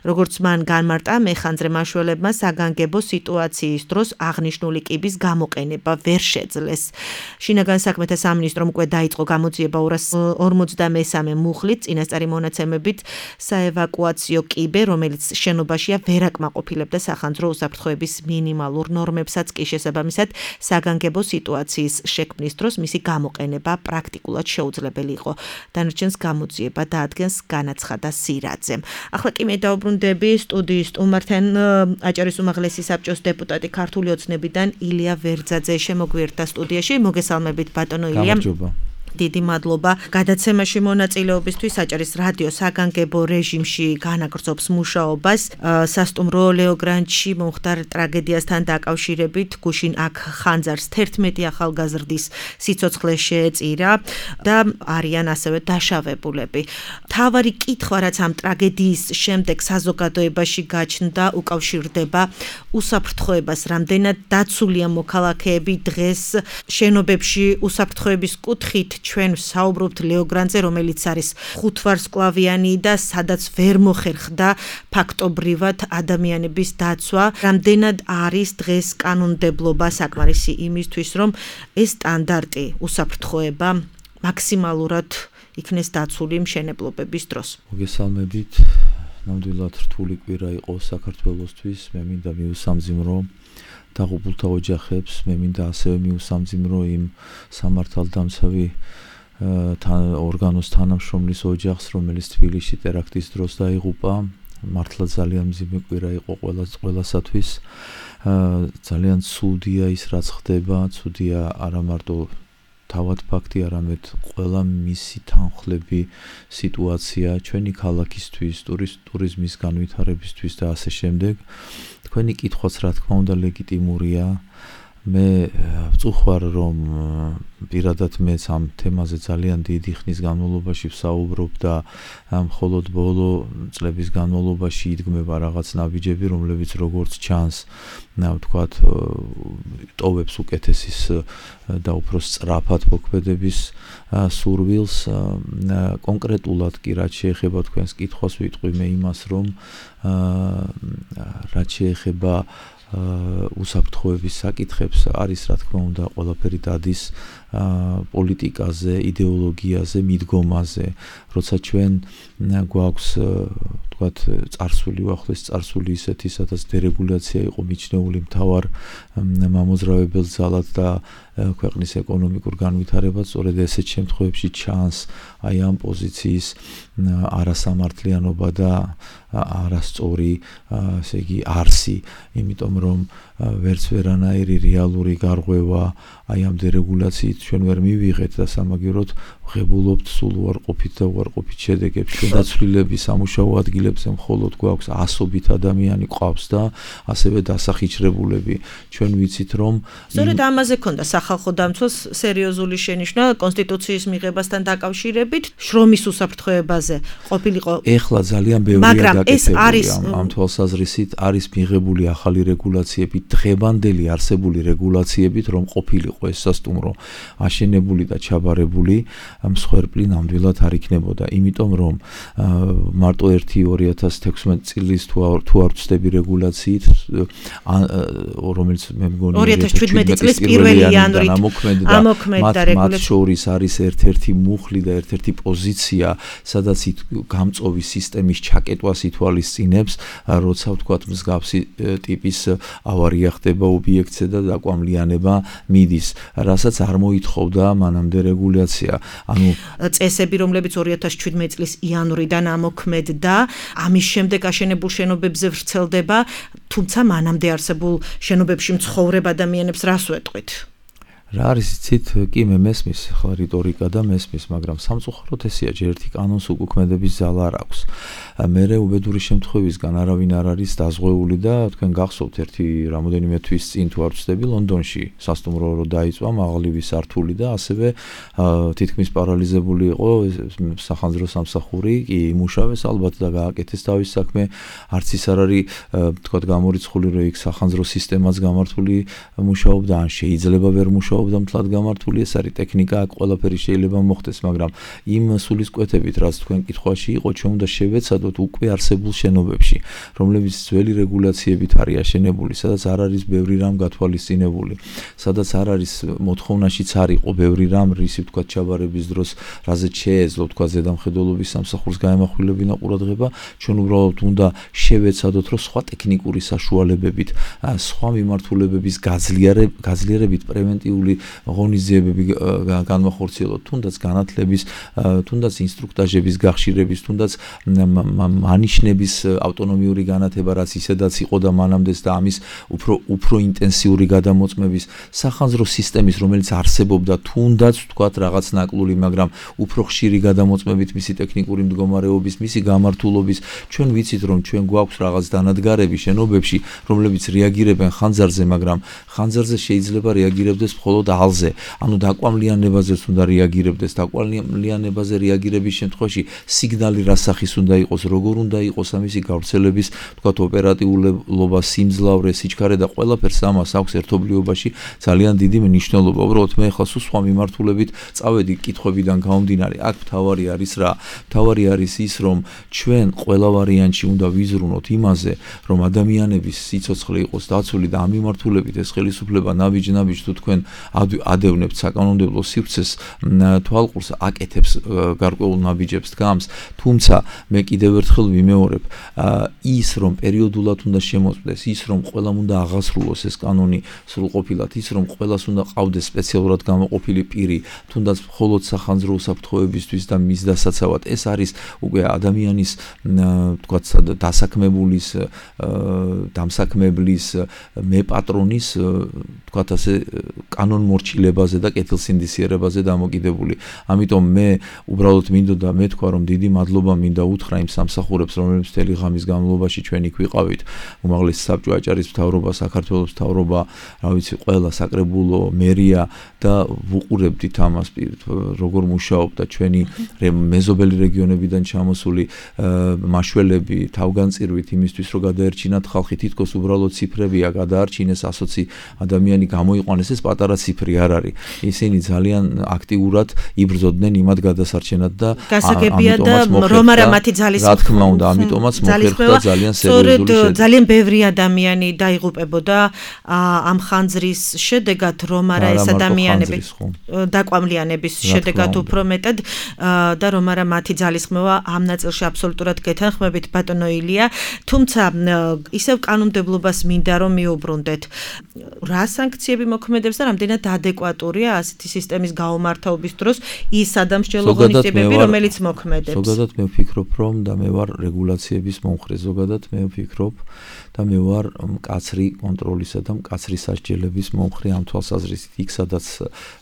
როგორც მან განმარტა, მეხანძრე მაშველებმა საგანგებო სიტუაციის დროს აღნიშნული კიბის გამოყენება ვერ შეძლეს. შინაგან საქმეთა სამინისტრომ უკვე დაიწყო გამოძიება ორას ორმოცდამესამე მუხლით წინასწარი მონაცემებით საევაკუაციო კიბე, რომელიც შენობაშია ვერ აკმაყოფილებდა სახანძრო უსაფრთხოების მინიმალურ ნორმებსაც კი შესაბამისად საგანგებო სიტუაციის შექმნის დროს მისი გამოყენება პრაქტიკულად შეუძლებელი იყო. დანარჩენს გამოძიება დაადგენს, განაცხადა სირაძემ. ახლა კი მე დაუბრუნდები სტუდიის სტუმართან, აჭარის უმაღლესი საბჭოს დეპუტატი ქართული ოცნებიდან ილია ვერძაძე შემოგვიერთდა სტუდიაში. მოგესალმებით ბატონო ილია. დიდი მადლობა გადაცემაში მონაწილეობისთვის. აჭარის რადიო საგანგებო რეჟიმში განაგრძობს მუშაობას სასტუმრო ლეოგრანჩი მომხდარ ტრაგედიასთან დაკავშირებით. გუშინ აქ ხანძარს თერთმეტი ახალგაზრდის სიცოცხლე შეეწირა და არიან ასევე დაშავებულები. მთავარი კითხვა, რაც ამ ტრაგედიის შემდეგ საზოგადოებაში გაჩნდა, უკავშირდება უსაფრთხოებას. რამდენად დაცულია მოქალაქეები დღეს შენობებში უსაფრთხოების კუთხით? ჩვენ საუბრობთ ლეოგრანტზე, რომელიც არის ხუთვარსკვლავიანი და სადაც ვერ მოხერხდა ფაქტობრივად ადამიანების დაცვა. რამდენად არის დღეს კანონმდებლობა საკმარისი იმისთვის, რომ ეს სტანდარტი უსაფრთხოება მაქსიმალურად იქნეს დაცული მშენებლობების დროს. მოგესალმებით. ნამდვილად რთული კვირა იყო საქართველოსთვის. მე მინდა მიუსამძიმრო დაღუპულთა ოჯახებს, მე მინდა ასევე მიუსამძიმრო იმ სამართალდამცავი ორგანოს თანამშრომლის ოჯახს, რომელიც თბილისში ტერაქტის დროს დაიღუპა. მართლა ძალიან მძიმე კვირა იყო ყველასათვის. ძალიან ცუდია ის, რაც ხდება, ცუდია არა მარტო თავად ფაქტი, არამედ ყველა მისი თანხლები სიტუაცია ჩვენი ქალაქისთვის, ტურიზმის განვითარებისთვის და ასე შემდეგ. თქვენი კითხვაც რა თქმა უნდა ლეგიტიმურია. მე ვწუხარ, რომ პირადად მეც ამ თემაზე ძალიან დიდი ხნის განმავლობაში ვსაუბრობ და მხოლოდ ბოლო წლების განმავლობაში იდგმება რაღაც ნაბიჯები, რომლებიც როგორც ჩანს, ვთქვათ, ტოვებს უკეთესის და უფრო სწრაფად მოქმედების სურვილს. კონკრეტულად კი რაც შეეხება თქვენს კითხვას, ვიტყვი მე იმას, რომ რაც შეეხება უსაფრთხოების საკითხებს, არის რა თქმა უნდა ყველაფერი დადის პოლიტიკაზე, იდეოლოგიაზე, მიდგომაზე. როცა ჩვენ გვაქვს ვთქვათ წარსული, უახლოესი წარსული ისეთი, სადაც დერეგულაცია იყო მიჩნეული მთავარ მამოძრავებელ ძალად და ქვეყნის ეკონომიკურ განვითარებას, სწორედ ესეთ შემთხვევებში ჩანს აი ამ პოზიციის არასამართლიანობა და არასწორი, ესე იგი არსი, იმიტომ რომ ვერც ვერანაირი რეალური გარღვევა აი ამ დერეგულაციით ჩვენ ვერ მივიღეთ და სამაგიეროდ ვღებულობთ სულ უარყოფით და უარყოფით შედეგებს. ჩვენ დაცვლილები სამუშაო ადგილებზე მხოლოდ გვაქვს ასობით ადამიანი ყავს და ასევე დასახიჩრებულები. ჩვენ ვიცით რომ სწორედ ამაზე ქონდა სახალხო დამცველს სერიოზული შენიშვნა კონსტიტუციის მიღებასთან დაკავშირებით, შრომის უსაფრთხოებაზე ყოფილიყო. ეხლა ძალიან ბევრია გაკეთებული ამ თვალსაზრისით, არის მიღებული ახალი რეგულაციები, დღევანდელი არსებული რეგულაციებით, რომ ყოფილიყო ეს სასტუმრო აშენებული და ჩაბარებული, მსხვერპლი ნამდვილად არ იქნებოდა, იმიტომ რომ მარტო ერთი ორი ათას თექვსმეტი წლის თუ არ ვცდები რეგულაციით, რომელიც მე მგონი ორი ათას შვიდმეტი წლის პირველი იანვრით ამოქმედდა რეგულაცია. მათ შორის არის ერთ-ერთი მუხლი და ერთ-ერთი პოზიცია, სადაც გამწოვი სისტემის ჩაკეტვას ითვალისწინებს, როცა ვთქვათ მსგავსი ტიპის ავარია ხდება ობიექტზე და დაკვამლიანება მიდის, რასაც არ მოითხოვდა მანამდე რეგულაცია. ანუ წესები, რომლებიც ორი ათას შვიდმეტი წლის იანვრიდან ამოქმედდა, ამის შემდეგ აშენებულ შენობებზე ვრცელდება, თუმცა მანამდე არსებულ შენობებში მცხოვრებ ადამიანებს რას ვეტყვით? რა არის იცით, კი მე მესმის ხლა რიტორიკა და მესმის, მაგრამ სამწუხაროდ ესეა, ჯერ ერთი კანონს უკუქმედების ძალა არ აქვს. მერე უბედური შემთხვევისგან არავინ არ არის დაზღვეული და თქვენ გახსოვთ ერთი რამოდენიმე თვის წინ თუ არ ვცდები ლონდონში სასტუმრო რო დაიწვა მაღლივი სართული და ასევე თითქმის პარალიზებული იყო სახანძრო სამსახური, კი იმუშავეს ალბათ და გააკეთეს თავის საქმე, არც ის არ არის თქვათ გამორიცხული რომ იქ სახანძრო სისტემაც გამართული მუშაობდა, ან შეიძლება ვერ მუშაობდა მთლად გამართული, ეს არის ტექნიკა, აქ ყველაფერი შეიძლება მოხდეს, მაგრამ იმ სულისკვეთებით, რაც თქვენ კითხვაში იყო, ჩვენ უნდა შევეცადოთ უკვე არსებულ შენობებში, რომლებიც ძველი რეგულაციებით არის აშენებული, სადაც არ არის ბევრი რამ გათვალისწინებული, სადაც არ არის მოთხოვნაშიც არ იყო ბევრი რამ, რისი თქვათ ჩაბარების დროს, რაზეც შეეძლო თქვათ ზედამხედველობის სამსახურს გაემახვილებინა ყურადღება, ჩვენ უბრალოდ უნდა შევეცადოთ, რომ სხვა ტექნიკური საშუალებებით, სხვა მიმართულებების გაძლიერებით პრევენტიული ღონისძიებები განვახორციელოთ, თუნდაც განათლების, თუნდაც ინსტრუქტაჟების გახშირების, თუნდაც მანიშნების ავტონომიური განათება, რაც ისედაც იყო და მანამდეც და ამის უფრო უფრო ინტენსიური გადამოწმების სახანძრო სისტემის, რომელიც არსებობდა, თუნდაც თქვათ რაღაც ნაკლული, მაგრამ უფრო ხშირი გადამოწმებით მისი ტექნიკური მდგომარეობის, მისი გამართულობის, ჩვენ ვიცით, რომ ჩვენ გვაქვს რაღაც დანადგარები შენობებში, რომლებიც რეაგირებენ ხანძარზე, მაგრამ ხანძარზე შეიძლება რეაგირებდეს მხოლოდ ალზე, ანუ დაკვამლიანებაზეც უნდა რეაგირებდეს, დაკვამლიანებაზე რეაგირების შემთხვევაში სიგნალი რა სახის უნდა იყოს, როგორ უნდა იყოს ამისი გავრცელების, თქვათ ოპერატიულობა, სიმძლავრე, სიჩქარე და ყველაფერს ამას აქვს ერთობლიობაში ძალიან დიდი მნიშვნელობა. უბრალოდ მე ახლა სულ სხვა მიმართულებით წავედი კითხვებიდან გამომდინარე. აქ მთავარი არის რა? მთავარი არის ის, რომ ჩვენ ყველა ვარიანტში უნდა ვიზრუნოთ იმაზე, რომ ადამიანების სიცოცხლე იყოს დაცული და ამ მიმართულებით ეს ხელისუფლება ნაბიჯ-ნაბიჯ თუ თქვენ ადევნებთ საკანონმდებლო სივრცეს თვალყურს აკეთებს გარკვეულ ნაბიჯებს დგამს, თუმცა მე კიდევ ერთხელ ვიმეორებ, ის რომ პერიოდულად უნდა შემოწმდეს, ის რომ ყველამ უნდა აღასრულოს ეს კანონი სრულყოფილად, ის რომ ყველას უნდა ყავდეს სპეციალურად გამოყოფილი პირი, თუნდაც მხოლოდ სახანძრო უსაფრთხოებისთვის და მის დასაცავად, ეს არის უკვე ადამიანის თქვათ დასაქმებულის, დამსაქმებლის, მეპატრონის თქვათ ასე კანონმორჩილებაზე და კეთილსინდისიერებაზე დამოკიდებული. ამიტომ მე უბრალოდ მინდოდა მეთქვა, რომ დიდი მადლობა მინდა უთხრა იმ სამსახურებს, რომლებიც მთელი ღამის განმავლობაში ჩვენ იქ ვიყავით. უმაღლესი საბჭო აჭარის მთავრობა, საქართველოს მთავრობა, რა ვიცი, ყველა საკრებულო, მერია და ვუყურებდით ამას, როგორ მუშაობდა ჩვენი მეზობელი რეგიონებიდან ჩამოსული მაშველები თავგანწირვით იმისთვის, რომ გადაერჩინათ ხალხი, თითქოს უბრალოდ ციფრებია, გადაარჩინეს ასოცი ადამიანი გამოიყვანეს, ეს პატარა ციფრი არ არის. ისინი ძალიან აქტიურად იბრძოდნენ იმად გადასარჩენად და გასაგებია და რომ არა მათი ძალის რა თქმა უნდა, ამიტომაც მოხერხდა ძალიან სერიოზული შედეგი. ძალიან ბევრი ადამიანი დაიღუპებოდა ამ ხანძრის შედეგად, რომ არა ეს ადამიანები დაკვამლიანების შედეგად უფრო მეტად და რომ არა მათი ძალისხმევა ამ ნაწილში აბსოლუტურად გეთანხმებით ბატონო ილია, თუმცა ისევ კანონმდებლობას მინდა რომ მიუბრუნდეთ. რა სანქციები მოქმედებს და რამდენად ადეკვატურია ასეთი სისტემის გაუმართავობის დროს ის სადამსჯელო ღონისძიებები, რომელიც მოქმედებს? ზოგადად მე ვფიქრობ, რომ და მე ვარ რეგულაციების მომხრე, ზოგადად მე ვფიქრობ და მე ვარ მკაცრი კონტროლისა და მკაცრი სასჯელების მომხრე ამ თვალსაზრისით, იქ სადაც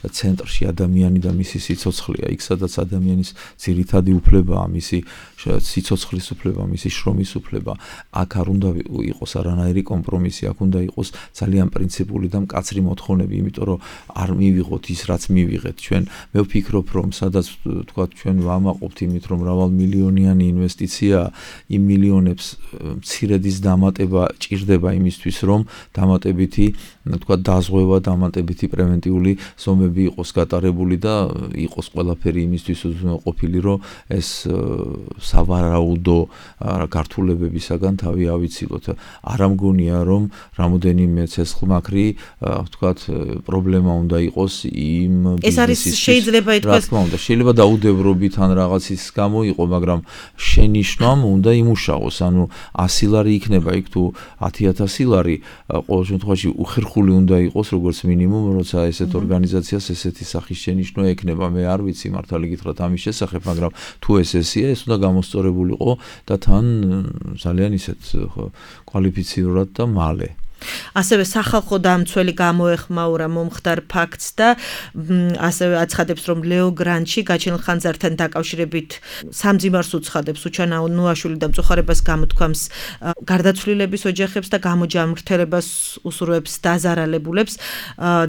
ცენტრში ადამიანი და მისი სიცოცხლეა, იქ სადაც ადამიანის ძირითადი უფლებაა, მისი სიცოცხლის უფლება, მისი შრომის უფლება, აქ არ უნდა იყოს არანაირი კომპრომისი, აქ უნდა იყოს ძალიან პრინციპული და მკაცრი მოთხოვნები, იმიტომ რომ რომ არ მივიღოთ ის რაც მივიღეთ ჩვენ მე ვფიქრობ რომ სადაც თქვა ჩვენ ვამაყობთ იმით რომ მრავალმილიონიანი ინვესტიცია იმ მილიონებს მცირედის დამატება ჭირდება იმისთვის რომ დამატებითი თქვა დაზღვევა დამატებითი პრევენტიული ზომები იყოს გატარებული და იყოს ყველაფერი იმისთვის ყოფილი რომ ეს სავარაუდო გართულებებისაგან თავი ავიცილოთ არ ამგონია რომ რამოდენიმე ცეცხლმაქრი თქვა პრობლემა უნდა იყოს იმ ეს არის შეიძლება ითქვას რა თქმა უნდა შეიძლება დაუდევრობით ან რაღაცის გამო იყო მაგრამ შენიშვნამ უნდა იმუშაოს ანუ ასი ლარი იქნება იქ თუ ათი ათასი ლარი ყოველ შემთხვევაში უხერხული უნდა იყოს როგორც მინიმუმ როცა ესეთ ორგანიზაციას ესეთი სახის შენიშვნა ექნება მე არ ვიცი მართალი გითხრათ ამის შესახებ მაგრამ თუ ეს ესეა ეს უნდა გამოსწორებულიყო და თან ძალიან ისეთ კვალიფიცირებულად და მალე ასევე სახალხო დამცველი გამოეხმაურა მომხდარ ფაქტს და ასევე აცხადებს რომ ლეო გრანჩი გაჩენილ ხანძართან დაკავშირებით სამძიმარს უცხადებს უჩანა ნუაშვილი და მწუხარებას გამოთქვამს გარდაცვლილების ოჯახებს და გამოჯამრთელებას უსურვებს დაზარალებულებს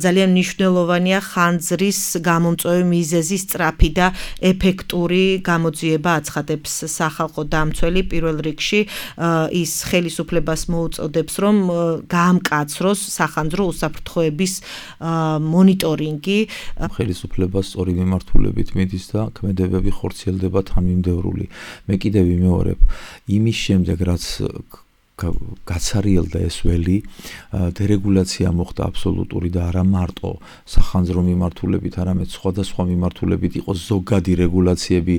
ძალიან მნიშვნელოვანია ხანძრის გამომწვევი მიზეზის სწრაფი და ეფექტური გამოძიება აცხადებს სახალხო დამცველი პირველ რიგში ის ხელისუფლებას მოუწოდებს რომ გამკაცროს სახანძრო უსაფრთხოების მონიტორინგი ხელისუფლებას სწორი მიმართულებით მიდის და ქმედებები ხორციელდება თანმიმდევრული მე კიდევ ვიმეორებ იმის შემდეგ რაც გაცარიელდა ეს ველი დერეგულაცია მოხდა აბსოლუტური და არა მარტო სახანძრო მიმართულებით არამედ სხვადასხვა მიმართულებით იყო ზოგადი რეგულაციები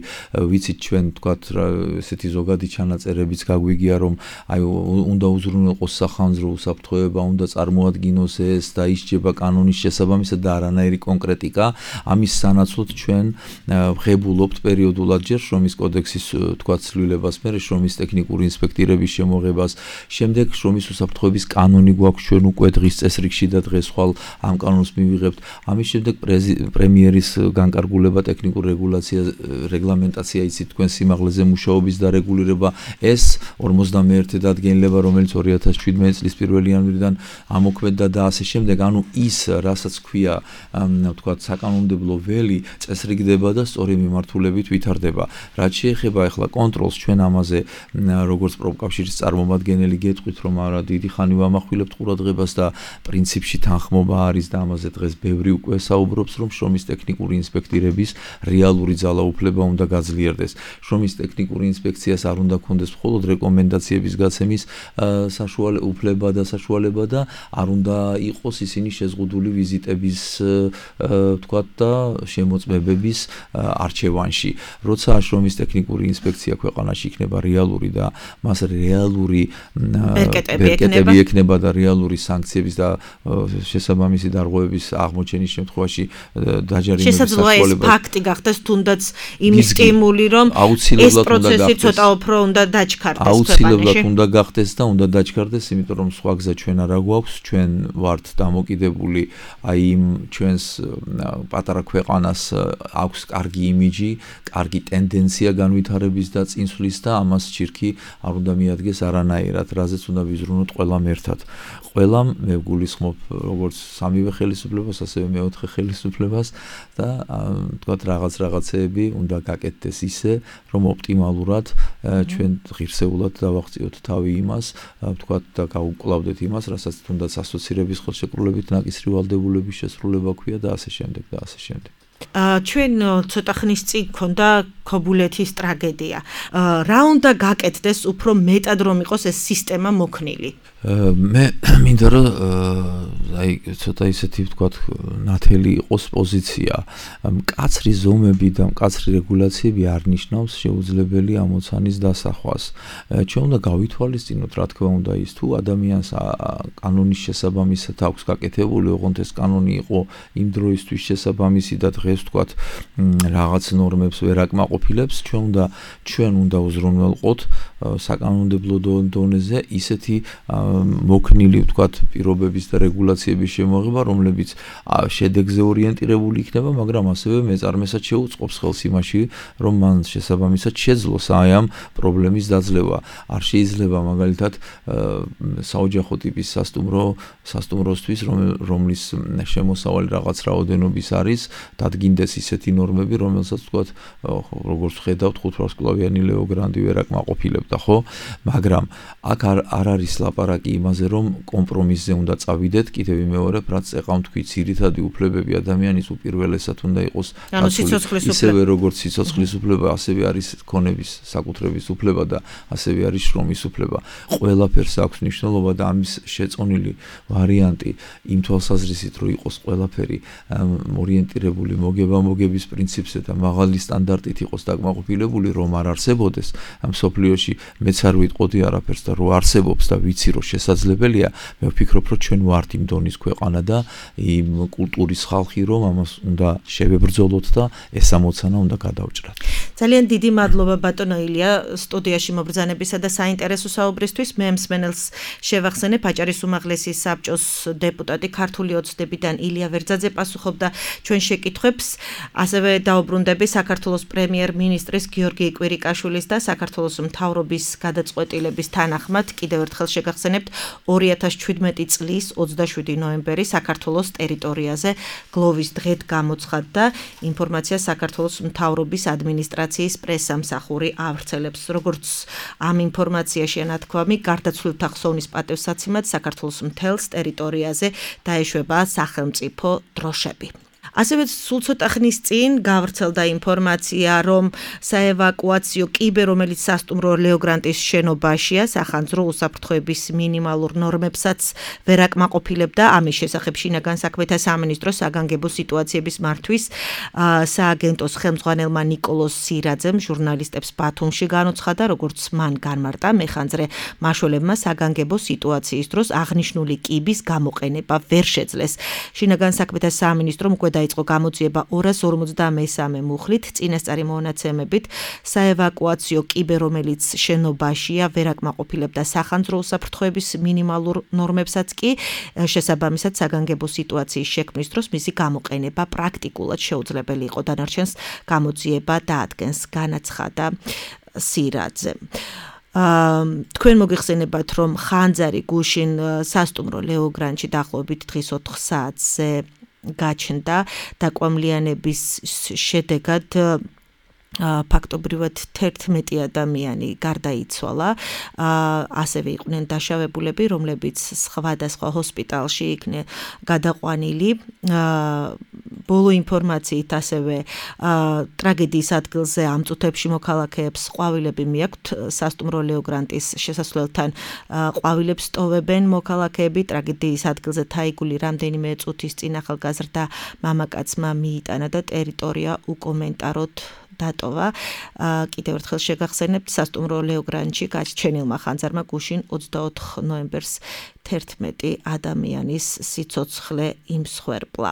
ვიცით ჩვენ თქვათ ესეთი ზოგადი ჩანაწერებიც გაგვიგია რომ აი უნდა უზრუნველყოს სახანძრო უსაფრთხოება უნდა წარმოადგინოს ეს და ისჯება კანონის შესაბამისად და არანაირი კონკრეტიკა ამის სანაცვლოდ ჩვენ ვღებულობთ პერიოდულად ჯერ შრომის კოდექსის თქვათ ცვლილებას მე შრომის ტექნიკური ინსპექტირების შემოღებას შემდეგ შრომის უსაფრთხოების კანონი გვაქვს ჩვენ უკვე დღის წესრიგში და დღეს ხვალ ამ კანონს მივიღებთ ამის შემდეგ პრემიერის განკარგულება ტექნიკურ რეგულაცია რეგლამენტაცია იცით თქვენ სიმაღლეზე მუშაობის დარეგულირება ეს ორმოცდამეერთე დადგენილება რომელიც ორი ათას შვიდმეტი წლის პირველი იანვრიდან ამოქმედდა და ასე შემდეგ ანუ ის რასაც ქვია თქვა საკანონმდებლო ველი წესრიგდება და სწორი მიმართულებით ვითარდება რაც შეეხება ახლა კონტროლს ჩვენ ამაზე როგორც პროფკავშირის წარმომადგენელი გეტყვით რომ არა დიდი ხანი ვამახვილებთ ყურადღებას და პრინციპში თანხმობა არის და ამაზე დღეს ბევრი უკვე საუბრობს რომ შრომის ტექნიკური ინსპექტირების რეალური ძალაუფლება უნდა გაძლიერდეს შრომის ტექნიკური ინსპექციას არ უნდა ქონდეს მხოლოდ რეკომენდაციების გაცემის საშუალება უფლება და საშუალება და არ უნდა იყოს ისინი შეზღუდული ვიზიტების თქვათ და შემოწმებების არჩევანში როცა შრომის ტექნიკური ინსპექცია ქვეყანაში იქნება რეალური და მას რეალური ბერკეტები ექნება და რეალური სანქციების და შესაბამისი დარღვევების აღმოჩენის შემთხვევაში დაჯარიმების შესაძლოა ფაქტი გახდეს თუნდაც იმის სტიმული რომ ეს პროცესი ცოტა უფრო უნდა დაჩქარდეს აუცილებლად უნდა გახდეს და უნდა დაჩქარდეს იმიტომ რომ სხვა გზა ჩვენ არა გვაქვს ჩვენ ვართ დამოკიდებული აი იმ ჩვენს პატარა ქვეყანას აქვს კარგი იმიჯი კარგი ტენდენცია განვითარების და წინსვლის და ამას ჩირქი არ უნდა მიადგეს არანაირად რაზეც უნდა ვიზრუნოთ ყველამ ერთად ყველამ მე გულისხმობ როგორც სამივე ხელისუფლებას ასევე მეოთხე ხელისუფლებას და თქვათ რაღაც რაღაცეები უნდა გაკეთდეს ისე რომ ოპტიმალურად ჩვენ ღირსეულად დავაღწიოთ თავი იმას თქვათ და გავუკლავდეთ იმას რასაც თუნდაც ასოცირების ხელშეკრულებით ნაკისრი ვალდებულების შესრულება ქვია და ასე შემდეგ და ასე შემდეგ ჩვენ ცოტა ხნის წინ გქონდა ქობულეთის ტრაგედია. რა უნდა გაკეთდეს უფრო მეტად რომ იყოს ეს სისტემა მოქნილი? მე მინდა რომ აი ცოტა ისეთი ვთქვათ ნათელი იყოს პოზიცია. მკაცრი ზომები და მკაცრი რეგულაციები არ ნიშნავს შეუძლებელი ამოცანის დასახვას. ჩვენ უნდა გავითვალისწინოთ რა თქმა უნდა ის თუ ადამიანს კანონის შესაბამისად აქვს გაკეთებული, ოღონდ ეს კანონი იყო იმ დროისთვის შესაბამისი და დღეს ვთქვათ რაღაც ნორმებს ვერ აკმაყოფილებს, ჩვენ უნდა ჩვენ უნდა უზრუნველყოთ საკანონმდებლო დონეზე ისეთი მოქნილი ვთქვათ პირობების და რეგულაციების ოპერაციების შემოღება, რომლებიც შედეგზე ორიენტირებული იქნება, მაგრამ ასევე მეწარმესაც შეუწყობს ხელს იმაში, რომ მან შესაბამისად შეძლოს აი ამ პრობლემის დაძლევა. არ შეიძლება მაგალითად საოჯახო ტიპის სასტუმრო სასტუმროსთვის, რომლის შემოსავალი რაღაც რაოდენობის არის, დადგინდეს ისეთი ნორმები, რომელსაც თქვათ, როგორც ხედავთ, ხუთვარსკვლავიანი ლეო გრანდი ვერ აკმაყოფილებდა, ხო? მაგრამ აქ არ არის ლაპარაკი იმაზე, რომ კომპრომისზე უნდა წავიდეთ, კიდევ ვიმეორებ, რაც ეხავთ თქვი, ძირითადი უფლებები ადამიანის უპირველესად უნდა იყოს დაცული, ისევე როგორც სიცოცხლის უფლება, ასევე არის ქონების საკუთრების უფლება და ასევე არის შრომის უფლება. ყველაფერს აქვს მნიშვნელობა და ამის შეწონილი ვარიანტი იმ თვალსაზრისით, რომ იყოს ყველაფერი ორიენტირებული მოგება-მოგების პრინციპზე და მაღალი სტანდარტით იყოს დაკმაყოფილებული, რომ არ არსებოდეს ამ სოფლიოში მეც არ ვიტყოდი არაფერს და რო არსებობს და ვიცი რომ შესაძლებელია, მე ვფიქრობ რომ ჩვენ ვართ იმ დონის ქვეყანა და იმ კულტურის ხალხი, რომ ამას უნდა შევებრძოლოთ და ეს ამოცანა უნდა გადავჭრათ. ძალიან დიდი მადლობა ბატონო ილია სტუდიაში მობრძანებისა და საინტერესო საუბრისთვის. მე მსმენელს შევახსენებ, აჭარის უმაღლესი საბჭოს დეპუტატი ქართული ოცნებიდან ილია ვერძაძე პასუხობდა ჩვენ შეკითხვებს. ასევე დაუბრუნდები საქართველოს პრემიერ-მინისტრის გიორგი კვირიკაშვილის და საქართველოს მთავრობის გადაწყვეტილების თანახმად კიდევ ერთხელ შეგახსენებთ ორი ათას შვიდმეტი წლის ოცდაშვიდი ნოემბერი საქართველოს ტერიტორიაზე გლოვის დღედ გამოცხადდა. ინფორმაცია საქართველოს მთავრობის ადმინისტრაციის პრესამსახური ავრცელებს. როგორც ამ ინფორმაციაში ანათქვამი, გარდაცვლილთა ხსოვნის პატივსაცემად საქართველოს მთელს ტერიტორიაზე დაეშვება სახელმწიფო დროშები. ასევე სულ ცოტა ხნის წინ გავრცელდა ინფორმაცია, რომ საევაკუაციო კიბე, რომელიც სასტუმრო ლეო გრანტის შენობაშია, სახანძრო უსაფრთხოების მინიმალურ ნორმებსაც ვერ აკმაყოფილებდა. ამის შესახებ შინაგან საქმეთა სამინისტროს საგანგებო სიტუაციების მართვის სააგენტოს ხელმძღვანელმა ნიკოლოზ სირაძემ ჟურნალისტებს ბათუმში განუცხადა, როგორც მან განმარტა, მეხანძრე მაშველებმა საგანგებო სიტუაციის დროს აღნიშნული კიბის გამოყენება ვერ შეძლეს. შინაგან საქმეთა სამინისტრომ უკვე დაიწყო გამოძიება ორას ორმოცდამესამე მუხლით, წინასწარი მონაცემებით საევაკუაციო კიბე, რომელიც შენობაშია, ვერ აკმაყოფილებდა სახანძრო უსაფრთხოების მინიმალურ ნორმებსაც კი შესაბამისად საგანგებო სიტუაციის შექმნის დროს მისი გამოყენება პრაქტიკულად შეუძლებელი იყო. დანარჩენს გამოძიება დაადგენს, განაცხადა სირაძე. თქვენ მოგიხსენებათ, რომ ხანძარი გუშინ სასტუმრო ლეო გრანტში დაახლოებით დღის ოთხ საათზე გაჩნდა დაკვამლიანების შედეგად ფაქტობრივად თერთმეტი ადამიანი გარდაიცვალა, ასევე იყვნენ დაშავებულები, რომლებიც სხვადასხვა ჰოსპიტალში იქნენ გადაყვანილი. ბოლო ინფორმაციით ასევე ტრაგედიის ადგილზე ამ წუთებში მოქალაქეებს ყვავილები მიაქვთ. სასტუმრო ლეო გრანტის შესასვლელთან ყვავილებს ტოვებენ მოქალაქეები. ტრაგედიის ადგილზე თაიგული რამდენიმე წუთის წინ ახალგაზრდა მამაკაცმა მიიტანა და ტერიტორია უკომენტაროდ დატოვა. კიდევ ერთხელ შეგახსენებთ, სასტუმრო ლეო გრანტში გაჩენილმა ხანძარმა გუშინ ოცდაოთხ ნოემბერს თერთმეტი ადამიანის სიცოცხლე იმსხვერპლა.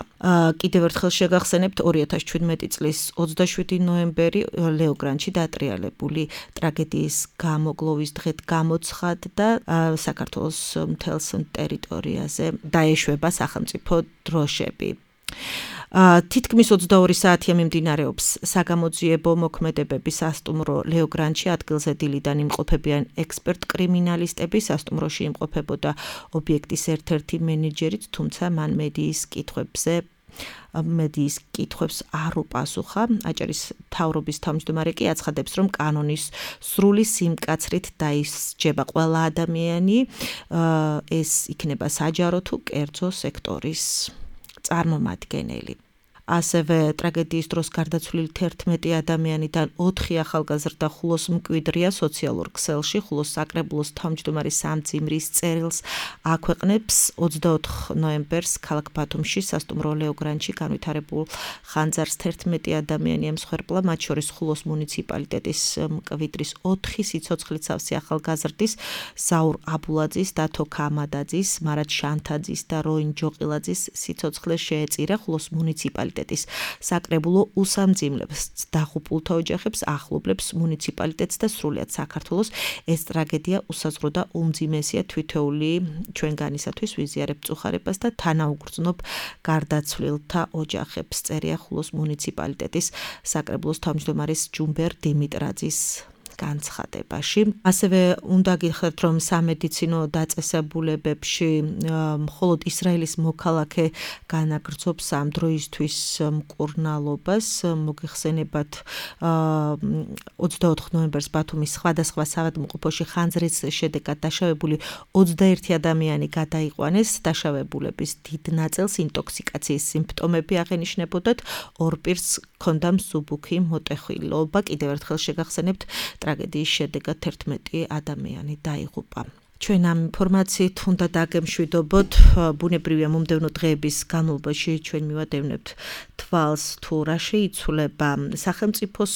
კიდევ ერთხელ შეგახსენებთ, ორი ათას შვიდმეტი წლის ოცდაშვიდი ნოემბერი ლეო გრანტში დატრიალებული ტრაგედიის გამო გლოვის დღედ გამოცხადდა საქართველოს მთელს ტერიტორიაზე დაეშვება სახელმწიფო დროშები. თითქმის ოცდაორი საათია მიმდინარეობს საგამოძიებო მოქმედებები სასტუმრო ლეო გრანტში. ადგილზე დილიდან იმყოფებიან ექსპერტ-კრიმინალისტები. სასტუმროში იმყოფებოდა ობიექტის ერთ-ერთი მენეჯერიც, თუმცა მან მედიის კითხვებზე მედიის კითხვებს არ უპასუხა. აჭარის მთავრობის თავმჯდომარე კი აცხადებს, რომ კანონის სრული სიმკაცრით დაისჯება ყველა ადამიანი, ეს იქნება საჯარო თუ კერძო სექტორის წარმომადგენელი. ასევე ტრაგედიის დროს გარდაცვლილი თერთმეტი ადამიანიდან ოთხი ახალგაზრდა ხულოს მკვიდრია სოციალურ ქსელში. ხულოს საკრებულოს თავმჯდომარე სამძიმრის წერილს აქვეყნებს. ოცდაოთხ ნოემბერს ქალაქ ბათუმში სასტუმრო ლეო გრანტში განვითარებულ ხანძარს თერთმეტი ადამიანი ემსხვერპლა, მათ შორის ხულოს მუნიციპალიტეტის მკვიდრის ოთხი სიცოცხლით სავსე ახალგაზრდის, ზაურ აბულაძის, დათო ქამადაძის, მარად შანთაძის და როინ ჯოყილაძის სიცოცხლე შეეწირა. ხულოს მუნიციპალიტეტის მუნიციპალიტეტის საკრებულო უსამძიმლებს დაღუპულთა ოჯახებს, ახლობლებს მუნიციპალიტეტს და სრულიად საქართველოს ეს ტრაგედია უსაზღვრო და უმძიმესია თვითეული ჩვენგანისათვის ვიზიარებ წუხარებას და თანაუგრძნობ გარდაცვლილთა ოჯახებს წერია ხულოს მუნიციპალიტეტის საკრებულოს თავმჯდომარის ჯუმბერ დიმიტრაძის განცხადებაში. ასევე უნდა გითხრათ, რომ სამედიცინო დაწესებულებებში მხოლოდ ისრაელის მოქალაქე განაგრძობს ამ დროისთვის მკურნალობას. მოგეხსენებათ ოცდაოთხ ნოემბერს ბათუმის სხვადასხვა საავადმყოფოში ხანძრის შედეგად დაშავებული ოცდაერთი ადამიანი გადაიყვანეს. დაშავებულების დიდ ნაწილს ინტოქსიკაციის სიმპტომები აღენიშნებოდათ. ორ პირს ჰქონდა მსუბუქი მოტეხილობა. კიდევ ერთხელ შეგახსენებთ, ტრაგედიის შედეგად ერთმეტი ადამიანი დაიღუპა. ჩვენ ამ ინფორმაციით უნდა დაგემშვიდობოთ. ბუნებრივია მომდევნო დღეების განმავლობაში ჩვენ მივადევნებთ თვალს თუ რა შეიცვლება სახელმწიფოს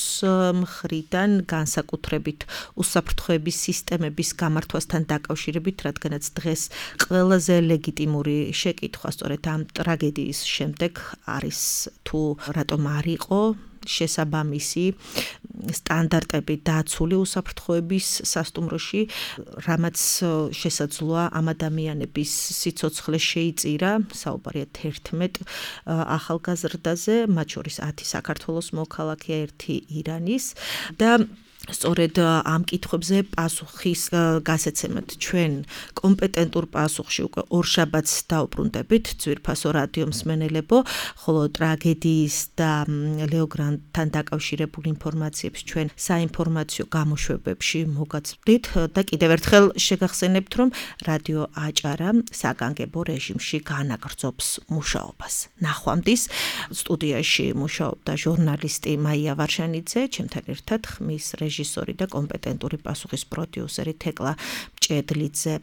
მხრიდან განსაკუთრებით უსაფრთხოების სისტემების გამართვასთან დაკავშირებით, რადგანაც დღეს ყველაზე ლეგიტიმური შეკითხვა სწორედ ამ ტრაგედიის შემდეგ არის თუ რატომ არ იყო შესაბამისი სტანდარტები დაცული უსაფრთხოების სასტუმროში, რამაც შესაძლოა ამ ადამიანების სიცოცხლე შეიწირა. საუბარია თერთმეტ ახალგაზრდაზე, მათ შორის ათი საქართველოს მოქალაქეა, ერთი ირანის და სწორედ ამ კითხვებზე პასუხის გასაცემად ჩვენ კომპეტენტურ პასუხში უკვე ორშაბათს დაუბრუნდებით ძვირფასო რადიო მსმენელებო, ხოლო ტრაგედიის და ლეო გრანტთან დაკავშირებულ ინფორმაციებს ჩვენ საინფორმაციო გამოშვებებში მოგაცვდით და კიდევ ერთხელ შეგახსენებთ, რომ რადიო აჭარა საგანგებო რეჟიმში განაგრძობს მუშაობას. ნახვამდის სტუდიაში მუშაობდა ჟურნალისტი მაია ვარშანიძე, ჩემთან ერთად ხმის რეჟისორი და კომპეტენტური პასუხის პროდიუსერი თეკლა მჭედლიძე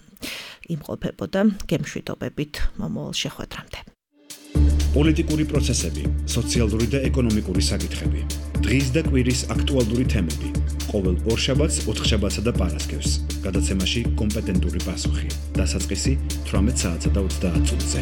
იმყოფებოდა. გემშვიდობებით მომავალ შეხვედრამდე. პოლიტიკური პროცესები, სოციალური და ეკონომიკური საკითხები, დღის და კვირის აქტუალური თემები. ყოველ ორშაბათს, ოთხშაბათსა და პარასკევს. გადაცემაში კომპეტენტური პასუხი. დასაწყისი თვრამეტ საათსა და ოცდაათ წუთზე.